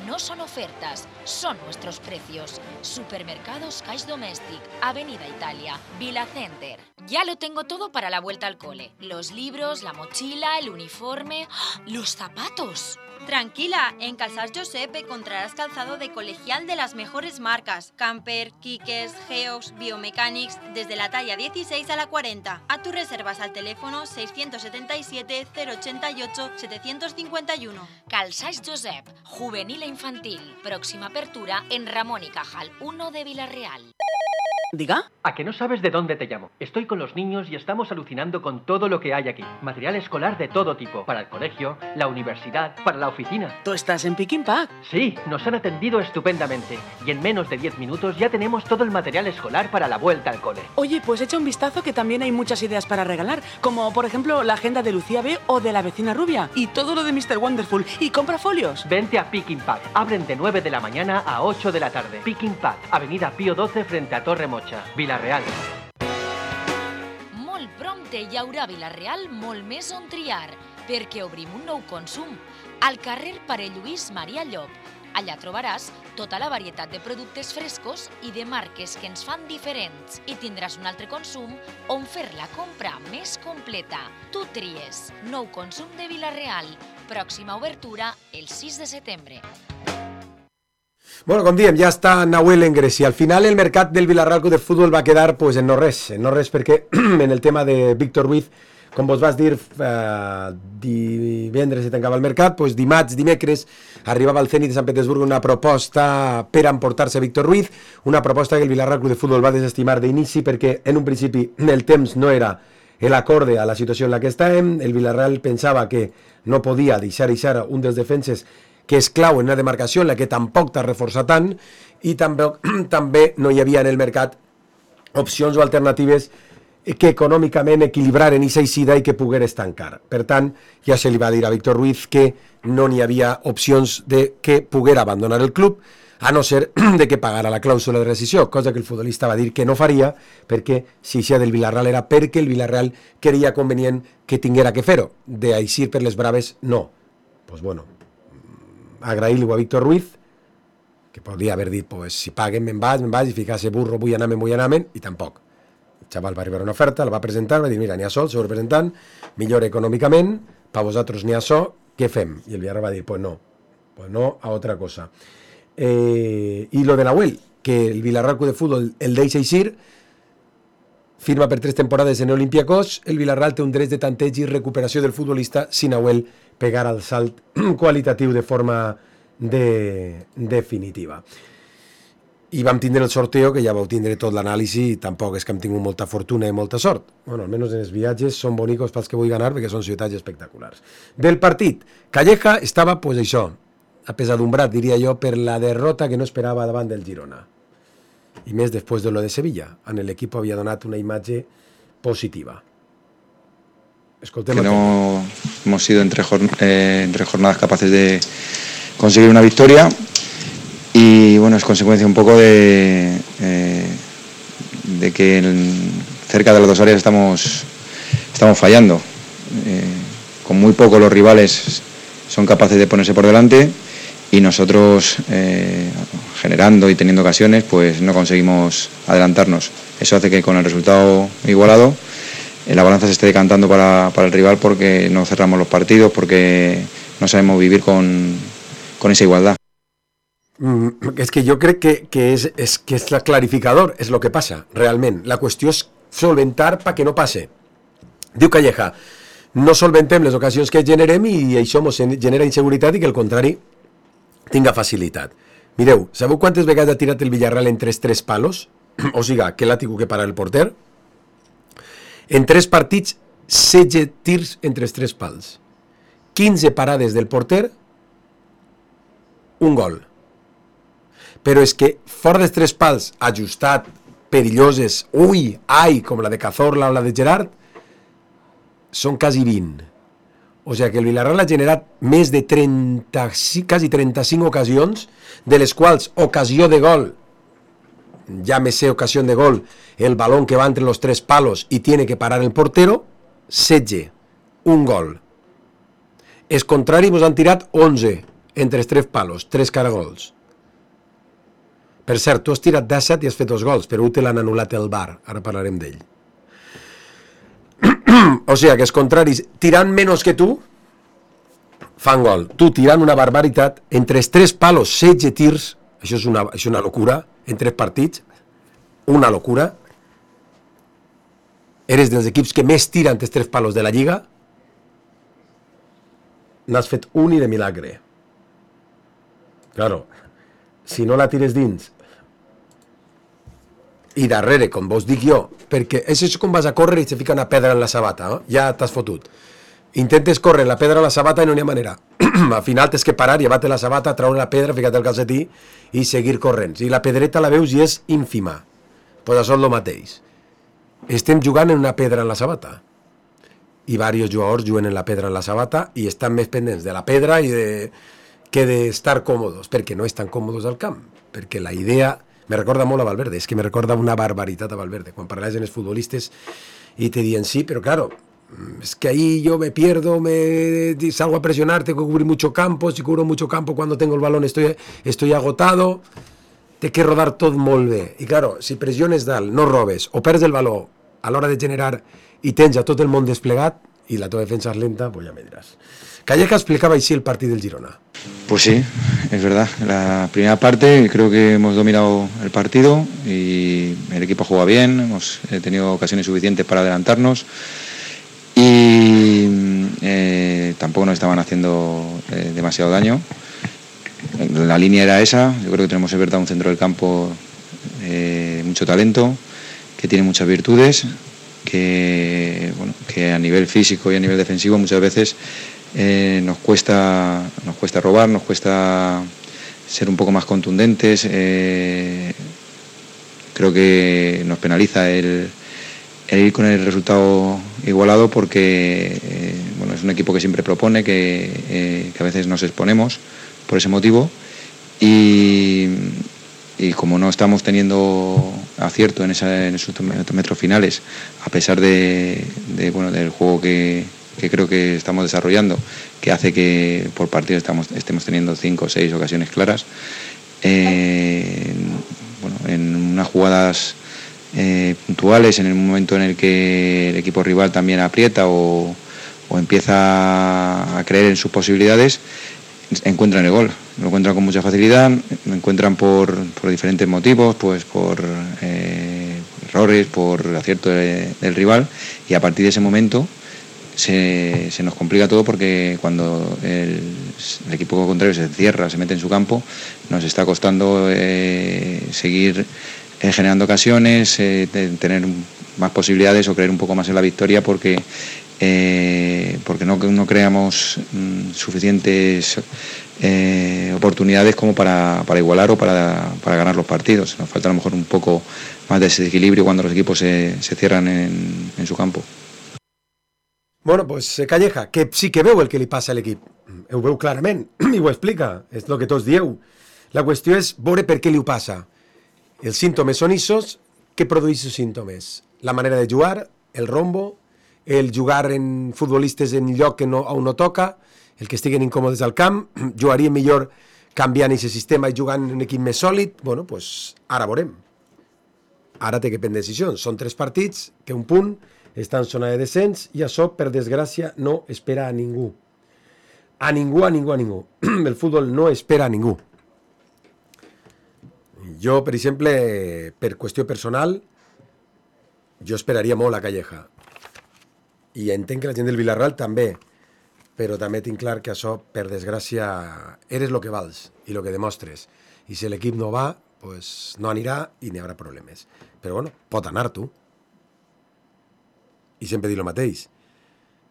No son ofertas, son nuestros precios. Supermercados Cash Domestic, Avenida Italia, Vila Center. Ya lo tengo todo para la vuelta al cole. Los libros, la mochila, el uniforme, los zapatos. Tranquila, en Calçats Josep encontrarás calzado de colegial de las mejores marcas. Camper, Kikes, Geox, Biomechanics, desde la talla 16 a la 40. A tus reservas al teléfono 677 088 751. Calçats Josep, juvenil e infantil. Próxima apertura en Ramón y Cajal 1 de Vila-real. ¿Diga? ¿A que no sabes de dónde te llamo? Estoy con los niños y estamos alucinando con todo lo que hay aquí. Material escolar de todo tipo. Para el colegio, la universidad, para la oficina. ¿Tú estás en Pick n Pack? Sí, nos han atendido estupendamente. Y en menos de 10 minutos ya tenemos todo el material escolar para la vuelta al cole. Oye, pues echa un vistazo que también hay muchas ideas para regalar. Como, por ejemplo, la agenda de Lucía B o de la vecina rubia. Y todo lo de Mr. Wonderful. Y compra folios. Vente a Pick n Pack. Abren de 9 de la mañana a 8 de la tarde. Pick n Pack, Avenida Pío 12 frente a Torre Mocha, Vila-real. Molt prompte hi haurà a Vila-real molt més on triar, perquè obrim un nou consum, al carrer Pare Lluís Maria Llop. Allà trobaràs tota la varietat de productes frescos i de marques que ens fan diferents i tindràs un altre consum on fer la compra més completa. Tu tries. Nou consum de Vila-real. Pròxima obertura el 6 de setembre. Bueno, com diem, ja està Nahuel en Grècia. Al final el mercat del Villarreal Club de Futbol va quedar pues, en no res perquè en el tema de Víctor Ruiz, com vos vas dir, divendres se tancava el mercat, pues, dimarts, dimecres, arribava al Zenit de Sant Petersburg una proposta per emportar-se Víctor Ruiz, una proposta que el Villarreal Club de Futbol va desestimar d'inici perquè en un principi el temps no era l'acorde a la situació en la que estàvem, el Villarreal pensava que no podia deixar un dels defenses que és clau en una demarcació en la que tampoc t'ha reforçat tant i també no hi havia en el mercat opcions o alternatives que econòmicament equilibraren aquesta eixida i que pogués tancar. Per tant, ja se li va dir a Víctor Ruiz que no n'hi havia opcions de que poguera abandonar el club, a no ser de que pagara la clàusula de rescisió, cosa que el futbolista va dir que no faria, perquè si això del Villarreal era perquè el Villarreal creia convenient que tinguera que fer-ho. D'eixir per les braves, no. Pues bueno, agrair-li a Víctor Ruiz, que podria haver dit, pues, si paguen me'n vaig, i ficar-se burro, vull anar-me'n, i tampoc. El xaval va arribar una oferta, la va presentar, va dir, mira, n'hi ha sol, sou representant, millor econòmicament, per vosaltres n'hi ha sol, què fem? I el Villarreal va dir, pues no, a otra cosa. I lo de Nahuel, que el Villarreal Club de Futbol el deixa eixir, firma per 3 temporades en Olympiacos, el Villarreal té un dret de tanteig i recuperació del futbolista si Nahuel pegar el salt qualitatiu de forma definitiva. I vam tindre el sorteo, que ja vau tindre tot l'anàlisi, i tampoc és que hem tingut molta fortuna i molta sort. Bueno, almenys en els viatges són bonicos pels que vull ganar, perquè són ciutats espectaculars. Del partit, Calleja estava, pues això, apesadumbrat, diria jo, per la derrota que no esperava davant del Girona. I més després de lo de Sevilla, on l'equip havia donat una imatge positiva. Que no hemos sido entre jornadas capaces de conseguir una victoria y bueno, es consecuencia un poco de que cerca de las dos áreas estamos fallando. Con muy poco los rivales son capaces de ponerse por delante y nosotros generando y teniendo ocasiones pues no conseguimos adelantarnos. Eso hace que con el resultado igualado la balanza se esté decantando para el rival porque no cerramos los partidos, porque no sabemos vivir con esa igualdad. És que jo crec que és el clarificador, és el que passa, realment. La qüestió és solventar perquè no passe. Diu Calleja, no solventem les ocasions que generem i això ens genera inseguretat i que al contrari tinga facilitat. Mireu, sabeu quantes vegades ha tirat el Villarreal en 3 palos? O sigui, que l'ha tingut que parar el porter? En 3 partits, 16 tirs entre els 3 pals. 15 parades del porter, un gol. Però és que fora dels 3 pals, ajustat, perilloses, com la de Cazorla o la de Gerard, són quasi 20. O sigui que el Villarreal ha generat més de 30, quasi 35 ocasions, de les quals ocasió de gol, llámese ocasión de gol, el balón que va entre los 3 palos y tiene que parar el portero, 16, un gol. Els contraris ens han tirat 11 entre els 3 palos, 3 caragols. Per cert, tu has tirat 17 i has fet 2 gols, però te l'han anul·lat el VAR, ara parlarem d'ell. O sigui que els contraris, tirant menys que tu, fan gol. Tu tirant una barbaritat, entre els 3 palos, 16 tirs, això és una locura, en 3 partits, una locura. Eres dels equips que més tiren els 3 palos de la Lliga, n'has fet un i de milagre. Claro, si no la tires dins i darrere, com vos dic jo, perquè és com vas a córrer i te fica una pedra en la sabata, no? Ja t'has fotut. Intentes córrer la pedra a la sabata i no n'hi ha manera. Al final tens que parar, llevar-te la sabata, treure la pedra, ficar-te el calcetí i seguir corrent. I la pedreta la veus i és ínfima. Pues això és el mateix. Estem jugant en una pedra en la sabata. I diversos jugadors juguen en la pedra en la sabata i estan més pendents de la pedra que d'estar còmodes, perquè no estan còmodes al camp. Perquè la idea... Me recorda molt a Valverde, és que me recorda una barbaritat a Valverde. Quan parlaves amb els futbolistes i te diuen sí, però claro, es que ahí yo me pierdo, salgo a presionar, tengo que cubrir mucho campo, si cubro mucho campo cuando tengo el balón estoy agotado, té que rodar tot molt bé. I claro, si pressiones dalt, no robes, o perds el baló a l'hora de generar i tens a tot el món desplegat i la teva defensa és lenta, pues ja me diràs. Calleja explicaba així el partido del Girona. Pues sí, es verdad. La primera parte creo que hemos dominado el partido y el equipo juega bien, hemos tenido ocasiones suficientes para adelantarnos y tampoco nos estaban haciendo demasiado daño. La línea era esa. Yo creo que tenemos en verdad un centro del campo mucho talento, que tiene muchas virtudes, que a nivel físico y a nivel defensivo muchas veces nos cuesta robar, nos cuesta ser un poco más contundentes. Creo que nos penaliza el ir con el resultado igualado porque es un equipo que siempre propone, que a veces nos exponemos por ese motivo y como no estamos teniendo acierto en esos metros finales, a pesar del juego que creo que estamos desarrollando, que hace que por partido estemos teniendo 5 o 6 ocasiones claras, en unas jugadas puntuales, en el momento en el que el equipo rival también aprieta o empieza a creer en sus posibilidades, encuentran el gol. Lo encuentran con mucha facilidad, lo encuentran por diferentes motivos, pues por errores, por acierto del rival, y a partir de ese momento se nos complica todo porque cuando el equipo contrario se cierra, se mete en su campo, nos está costando seguir generando ocasiones, tener más posibilidades o creer un poco más en la victoria porque no creamos suficientes oportunidades como para igualar o para ganar los partidos. Nos falta a lo mejor un poco más de ese equilibrio cuando los equipos se cierran en su campo. Bueno, pues Calleja, que sí que veu el que li passa a l'equip. Ho veu clarament i ho explica, és el que tots dieu. La qüestió és veure per què li ho passa. Els símptomes són issos, què produeix els símptomes? La manera de jugar, el rombo, el jugar en futbolistes en lloc on no toca, el que estiguen incòmodes al camp, jugaria millor canviant aquest sistema i jugant en un equip més sòlid. Bueno, doncs ara veurem. Ara té que prendre decisions. Són 3 partits, que un punt, està en zona de descens i això, per desgràcia, no espera a ningú. A ningú. El futbol no espera a ningú. Jo, per exemple, per qüestió personal, jo esperaria molt a Calleja. I entenc que la gent del Villarreal també, però també tinc clar que això, per desgràcia, eres el que vals i el que demostres. I si l'equip no va, pues no anirà i n'hi haurà problemes. Però bueno, pot anar tu. Y siempre digo lo mateix.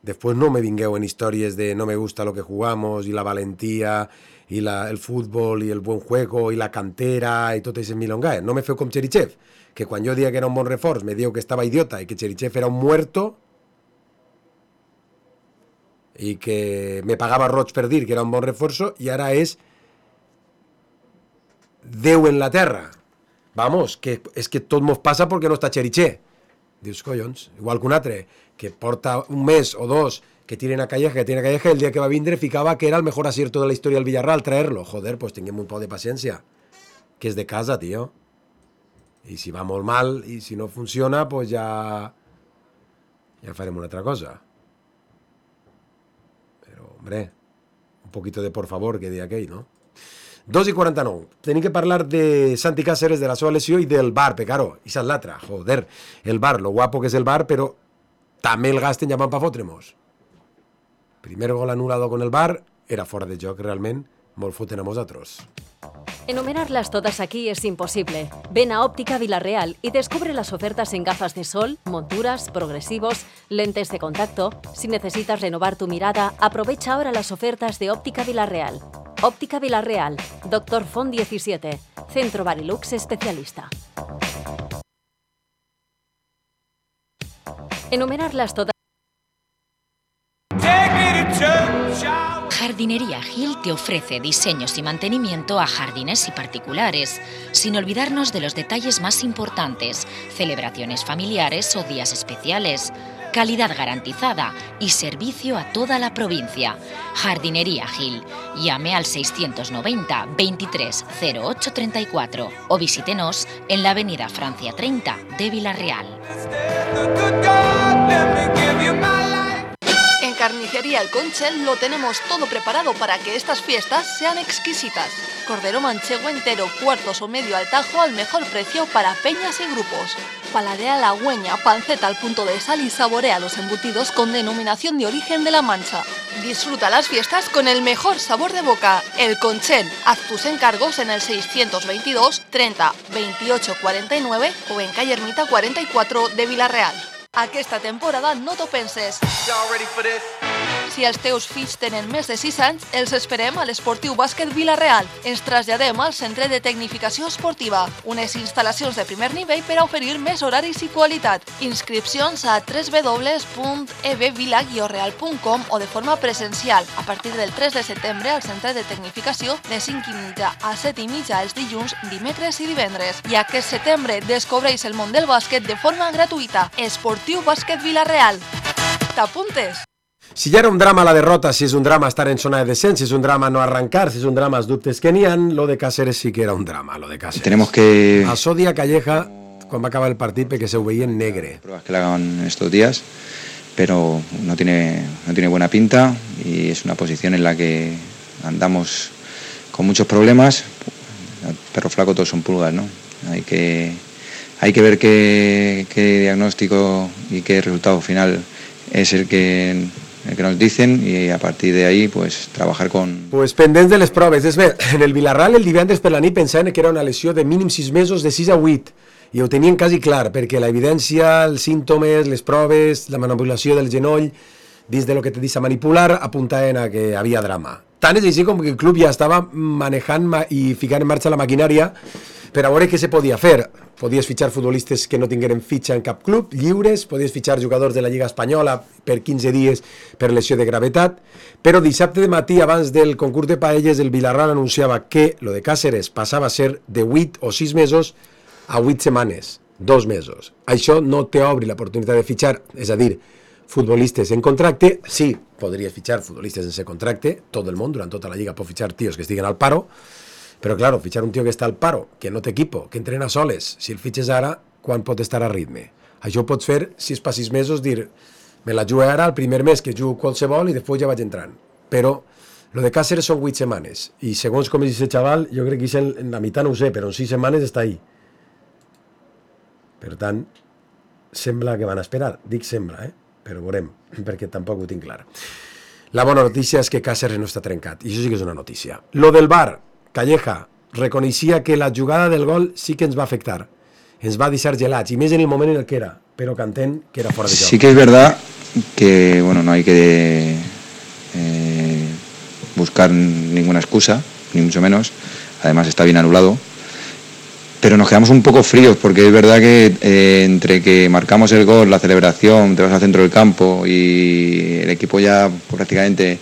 Después no me vingueu en historias de no me gusta lo que jugamos y la valentía y el fútbol y el buen juego y la cantera y tot ese milongaes. No me feu com Cherichev, que quan jo dia que era un bon reforç me diu que estava idiota i que Cherichev era un muerto i que me pagava roig per dir que era un bon reforço i ara és Déu en la terra. Vamos, que és que tot mos passa perquè no està Cherichev. Dius, collons, igual que un altre, que porta un mes o 2 que tiren a Calleja, el dia que va vindre ficava que era el mejor acierto de la història del Villarreal, traerlo. Joder, pues tinguem un poc de paciència, que és de casa, tío. I si va molt mal, i si no funciona, pues ja farem una altra cosa. Però, hombre, un poquito de por favor, que deia aquell, no? 2:49. Tenim que parlar de Santi Cáceres, de la seva lesió i del VAR, Pecaro. I és l'altra, joder. El VAR, lo guapo que és el VAR, però també el gasten llamant pa fotre-mos. Primer gol anulado con el VAR, era fora de joc realment, molt foten a vosaltres. Enumerarlas todas aquí es imposible. Ven a Óptica Villarreal y descubre las ofertas en gafas de sol, monturas, progresivos, lentes de contacto. Si necesitas renovar tu mirada, aprovecha ahora las ofertas de Óptica Villarreal. Óptica Villarreal, Dr. Font 17, Centro Barilux Especialista. Enumerarlas todas. Jardinería Gil te ofrece diseños y mantenimiento a jardines y particulares, sin olvidarnos de los detalles más importantes, celebraciones familiares o días especiales, calidad garantizada y servicio a toda la provincia. Jardinería Gil. Llame al 690 23 08 34 o visítenos en la avenida Francia 30 de Villarreal. En Carnicería El Conchel lo tenemos todo preparado para que estas fiestas sean exquisitas. Cordero manchego entero, cuartos o medio al tajo al mejor precio para peñas y grupos. Paladea la hueña, panceta al punto de sal y saborea los embutidos con denominación de origen de La Mancha. Disfruta las fiestas con el mejor sabor de boca. El Conchel. Haz tus encargos en el 622 30 28 49 o en calle Ermita 44 de Villarreal. Aquesta temporada no t'ho penses. Si els teus fills tenen més de 6 anys, els esperem a l'Esportiu Bàsquet Vila-real. Ens traslladem al Centre de Tecnificació Esportiva, unes instal·lacions de primer nivell per a oferir més horaris i qualitat. Inscripcions a www.evvila-real.com o de forma presencial a partir del 3 de setembre al Centre de Tecnificació de 5:30 a 7:30 els dilluns, dimecres i divendres. I aquest setembre descobreix el món del bàsquet de forma gratuïta. Esportiu Bàsquet Vila-real. T'apuntes? Si ja era un drama la derrota, si és un drama estar en zona de descens, si és un drama no arrancar, si és un drama els dubtes que n'hi ha, lo de Cáceres sí que era un drama, lo de Cáceres. Tenemos que... Asodia a Calleja quan va acabar el partit perquè se ho veia en negre. Pruebas que le hagan estos días, pero no tiene buena pinta y es una posición en la que andamos con muchos problemas. Perro flaco todos son pulgas, ¿no? Hay que ver qué diagnóstico y qué resultado final es el que nos dicen y a partir de ahí pues trabajar con... Pues pendents de les proves. És bé, en el Vilarral el divendres per la nit pensaven que era una lesió de mínim 6 mesos, de 6 a 8, i ho tenien quasi clar, perquè la evidència, els símptomes, les proves, la manipulació del genoll, dins de lo que te deixa manipular, apuntaven a que havia drama. Tant és així com que el club ja estava manejant i ficant en marxa la maquinària per a veure què se podia fer. Podies fitxar futbolistes que no tingueren fitxa en cap club, lliures, podies fitxar jugadors de la Lliga Espanyola per 15 dies per lesió de gravetat, però dissabte de matí, abans del concurs de paelles, el Vilarral anunciava que lo de Cáceres passava a ser de 8 o 6 mesos a 8 setmanes, 2 mesos. Això no t'obri l'oportunitat de fitxar, és a dir, futbolistes en contracte. Sí, podries fitxar futbolistes sense contracte, tot el món, durant tota la Lliga pot fitxar tios que estiguen al paro, però, claro, fitxar un tio que està al paro, que no té equipo, que entrena soles, si el fitxes ara, quan pot estar a ritme? Això ho pots fer, si és per 6 mesos, dir, me la jugo ara el primer mes que jugo qualsevol i després ja vaig entrant. Però lo de Cáceres són 8 setmanes, i segons com és aquest xaval, jo crec que en la meitat no ho sé, però en 6 setmanes està ahí. Per tant, sembla que van a esperar. Dic sembla, però veurem, perquè tampoc ho tinc clar. La bona notícia és que Cáceres no està trencat, i això sí que és una notícia. Lo del VAR, Calleja reconeixia que la jugada del gol sí que ens va afectar, ens va deixar gelats, i més en el moment en el que era, però que entén que era fora de joc. Sí que es verdad que bueno, no hay que buscar ninguna excusa, ni mucho menos, además está bien anulado, pero nos quedamos un poco fríos, porque es verdad que entre que marcamos el gol, la celebración, te vas al centro del campo y el equipo ya prácticamente...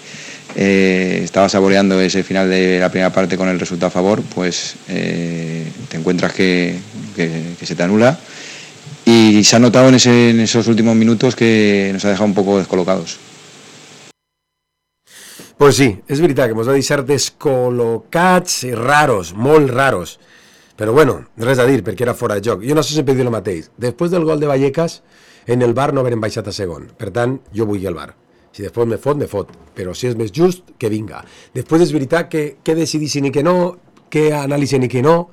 estaba saboreando ese final de la primera parte con el resultado a favor, pues te encuentras que se te anula y se ha notado en esos últimos minutos que nos ha dejado un poco descolocados. Pues sí, és veritat que ens va deixar descol·locats i raros, molt raros, però bueno, res a dir perquè era fora de joc. Jo no sé sempre dir el mateix, després del gol de Vallecas en el VAR no haurem baixat a segon, per tant jo vull el VAR. Si després me fot, però si és més just, que vinga. Després és veritat que decidissin i que no, que analitzen i que no,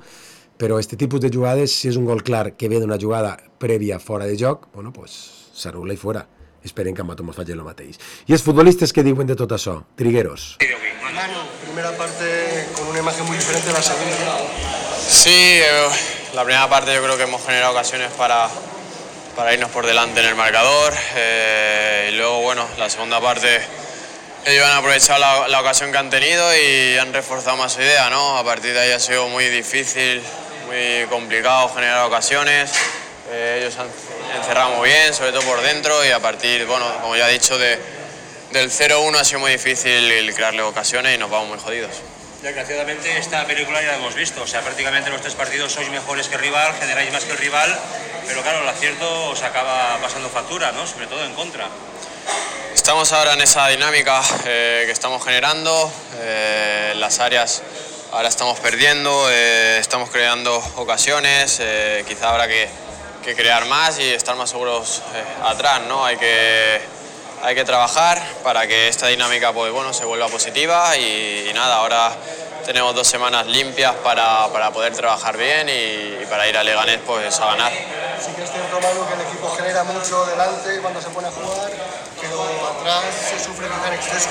però aquest tipus de jugades, si és un gol clar que ve d'una jugada prèvia fora de joc, bueno, pues s'anul·la i fora. Esperem que amb Mato mos facin el mateix. I els futbolistes que diuen de tot això? Trigueros. primera parte con una imagen muy diferente a la segunda. Sí, la primera parte yo creo que hemos generado ocasiones para irnos por delante en el marcador y luego, bueno, la segunda parte ellos han aprovechado la ocasión que han tenido y han reforzado más su idea, ¿no? A partir de ahí ha sido muy difícil, muy complicado generar ocasiones. Ellos han encerrado muy bien, sobre todo por dentro, y a partir, bueno, como ya he dicho, del 0-1 ha sido muy difícil crearle ocasiones y nos vamos muy jodidos. Desgraciadamente esta película ya la hemos visto, o sea, prácticamente los 3 partidos sois mejores que el rival, generáis más que el rival, pero claro, el acierto os acaba pasando factura, ¿no? Sobre todo en contra. Estamos ahora en esa dinámica que estamos generando, las áreas ahora estamos perdiendo, estamos creando ocasiones, quizá habrá que crear más y estar más seguros atrás, ¿no? Hay que trabajar para que esta dinámica, pues bueno, se vuelva positiva y nada, ahora tenemos 2 semanas limpias para poder trabajar bien y para ir a Leganés pues a ganar. Sí que es cierto, Manu, que el equipo genera mucho delante cuando se pone a jugar, pero atrás se sufre quizá en exceso.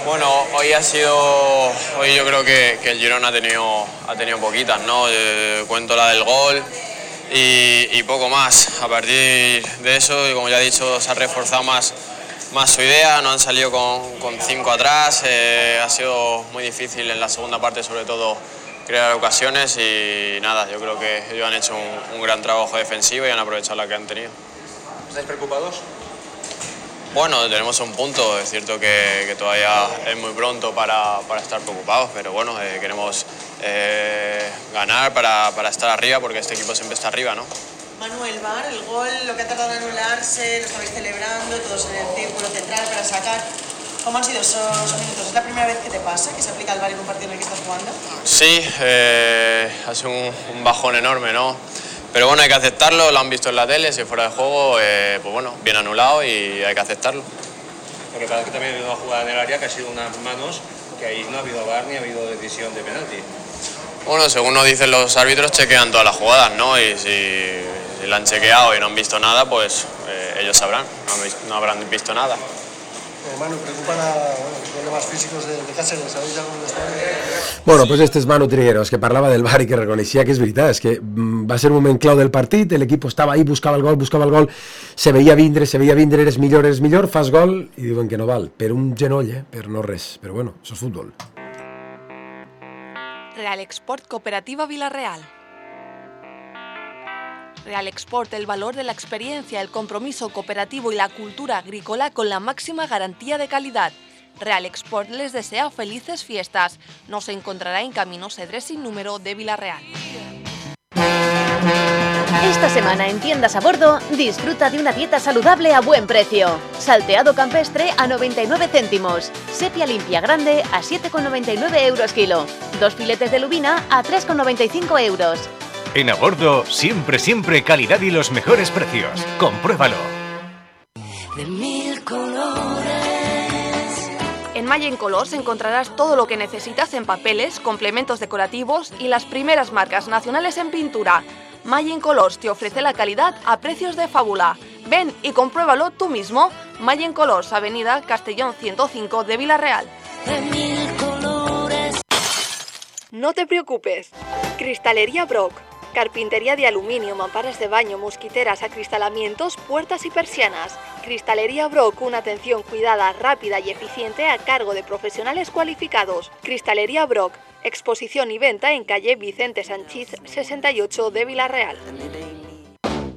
Bueno, hoy yo creo que el Girona ha tenido poquitas, ¿no? Cuento la del gol y poco más. A partir de eso, y como ya he dicho, se ha reforzado más su idea, no han salido con 5 atrás, ha sido muy difícil en la segunda parte, sobre todo crear ocasiones y nada, yo creo que ellos han hecho un gran trabajo defensivo y han aprovechado la que han tenido. ¿Estáis preocupados? Bueno, tenemos un punto, es cierto que todavía es muy pronto para estar preocupados, pero bueno, queremos ganar para estar arriba, porque este equipo siempre está arriba, ¿no? Manuel, VAR, el gol, lo que ha tardado en anularse, lo estabais celebrando, todos en el círculo central para sacar. ¿Cómo han sido esos minutos? ¿Es la primera vez que te pasa, que se aplica el VAR en un partido en el que estás jugando? Sí, ha sido un bajón enorme, ¿no? Pero bueno, hay que aceptarlo, lo han visto en la tele, si fuera de juego, pues bueno, bien anulado y hay que aceptarlo. Porque parece que también ha habido una jugada en el área que ha sido unas manos, que ahí no ha habido VAR ni ha habido decisión de penalti. Bueno, según nos dicen los árbitros, chequean todas las jugadas, ¿no? Y si la han chequeado y no han visto nada, pues ellos sabrán, no habrán visto nada. Manu, preocupan los problemas físicos de Cáceres, ¿sabéis algo de esto? Bueno, pues este és Manu Trigueros, que parlava del VAR i que reconeixia que és veritat, és que va ser un moment clau del partit, l'equip estava ahí, buscava el gol, se veia vindre, eres millor, fas gol, i diuen que no val, per un genoll, per no res, però bueno, això és futbol. Real Export Cooperativa Villarreal. Real Export, el valor de la experiencia, el compromiso cooperativo y la cultura agrícola con la máxima garantía de calidad. Real Export les desea felices fiestas. Nos encontrará en Camino Cedrés sin número de Villarreal. Esta semana en Tiendas a Bordo, disfruta de una dieta saludable a buen precio. Salteado campestre a 99 céntimos. Sepia limpia grande a 7,99 euros kilo. 2 filetes de lubina a 3,95 euros. En A Bordo, siempre calidad y los mejores precios. Compruébalo. De 1000 colores. En Mayen Colors encontrarás todo lo que necesitas en papeles, complementos decorativos y las primeras marcas nacionales en pintura. Mayen Colors te ofrece la calidad a precios de fábula. Ven y compruébalo tú mismo. Mayen Colors, Avenida Castellón 105 de Villarreal. De 1000 colores. No te preocupes. Cristalería Brock. Carpintería de aluminio, mamparas de baño, mosquiteras, acristalamientos, puertas y persianas. Cristalería Brock, una atención cuidada, rápida y eficiente a cargo de profesionales cualificados. Cristalería Brock, exposición y venta en calle Vicente Sanchís 68 de Villarreal.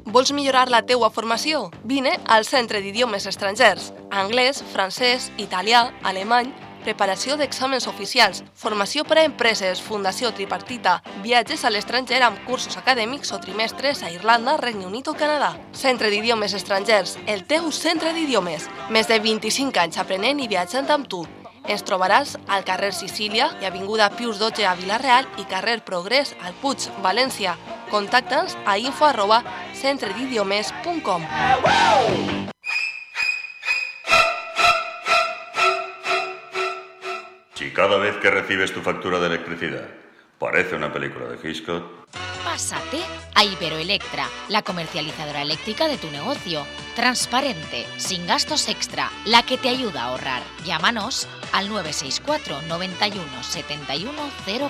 Vols millorar la teua formació? Vine al Centre d'Idiomes Estrangers. Anglès, francès, italià, alemany, preparació d'exàmens oficials, formació per a empreses, fundació tripartita, viatges a l'estranger amb cursos acadèmics o trimestres a Irlanda, Regne Unit o Canadà. Centre d'Idiomes Estrangers, el teu centre d'idiomes. Més de 25 anys aprenent i viatjant amb tu. Ens trobaràs al carrer Sicília i avinguda Pius XII a Vilareal i carrer Progrés al Puig, València. Contacta'ns a info@centredidiomes.com. Si cada vez que recibes tu factura de electricidad parece una película de Hitchcock, Pásate a Iberoelectra, la comercializadora eléctrica de tu negocio. Transparente, sin gastos extra, la que te ayuda a ahorrar. Llámanos al 964 91 71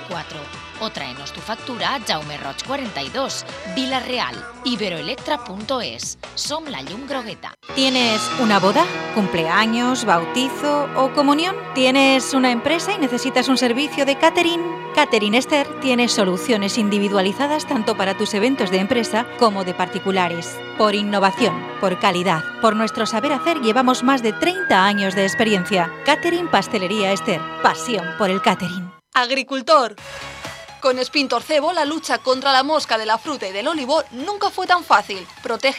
04 o tráenos tu factura a Jaume Roig 42, Vila-real, iberoelectra.es. Som la llum grogueta. ¿Tienes una boda, cumpleaños, bautizo o comunión? ¿Tienes una empresa y necesitas un servicio de catering? Catering Esther tiene soluciones individualizadas tanto para tus eventos de empresa como de particulares. Por innovación, por calidad, por nuestro saber hacer llevamos más de 30 años de experiencia. Catering Pastelería Esther, pasión por el catering. Agricultor. Con Spintor Cebo, la lucha contra la mosca de la fruta y del olivo nunca fue tan fácil. Protege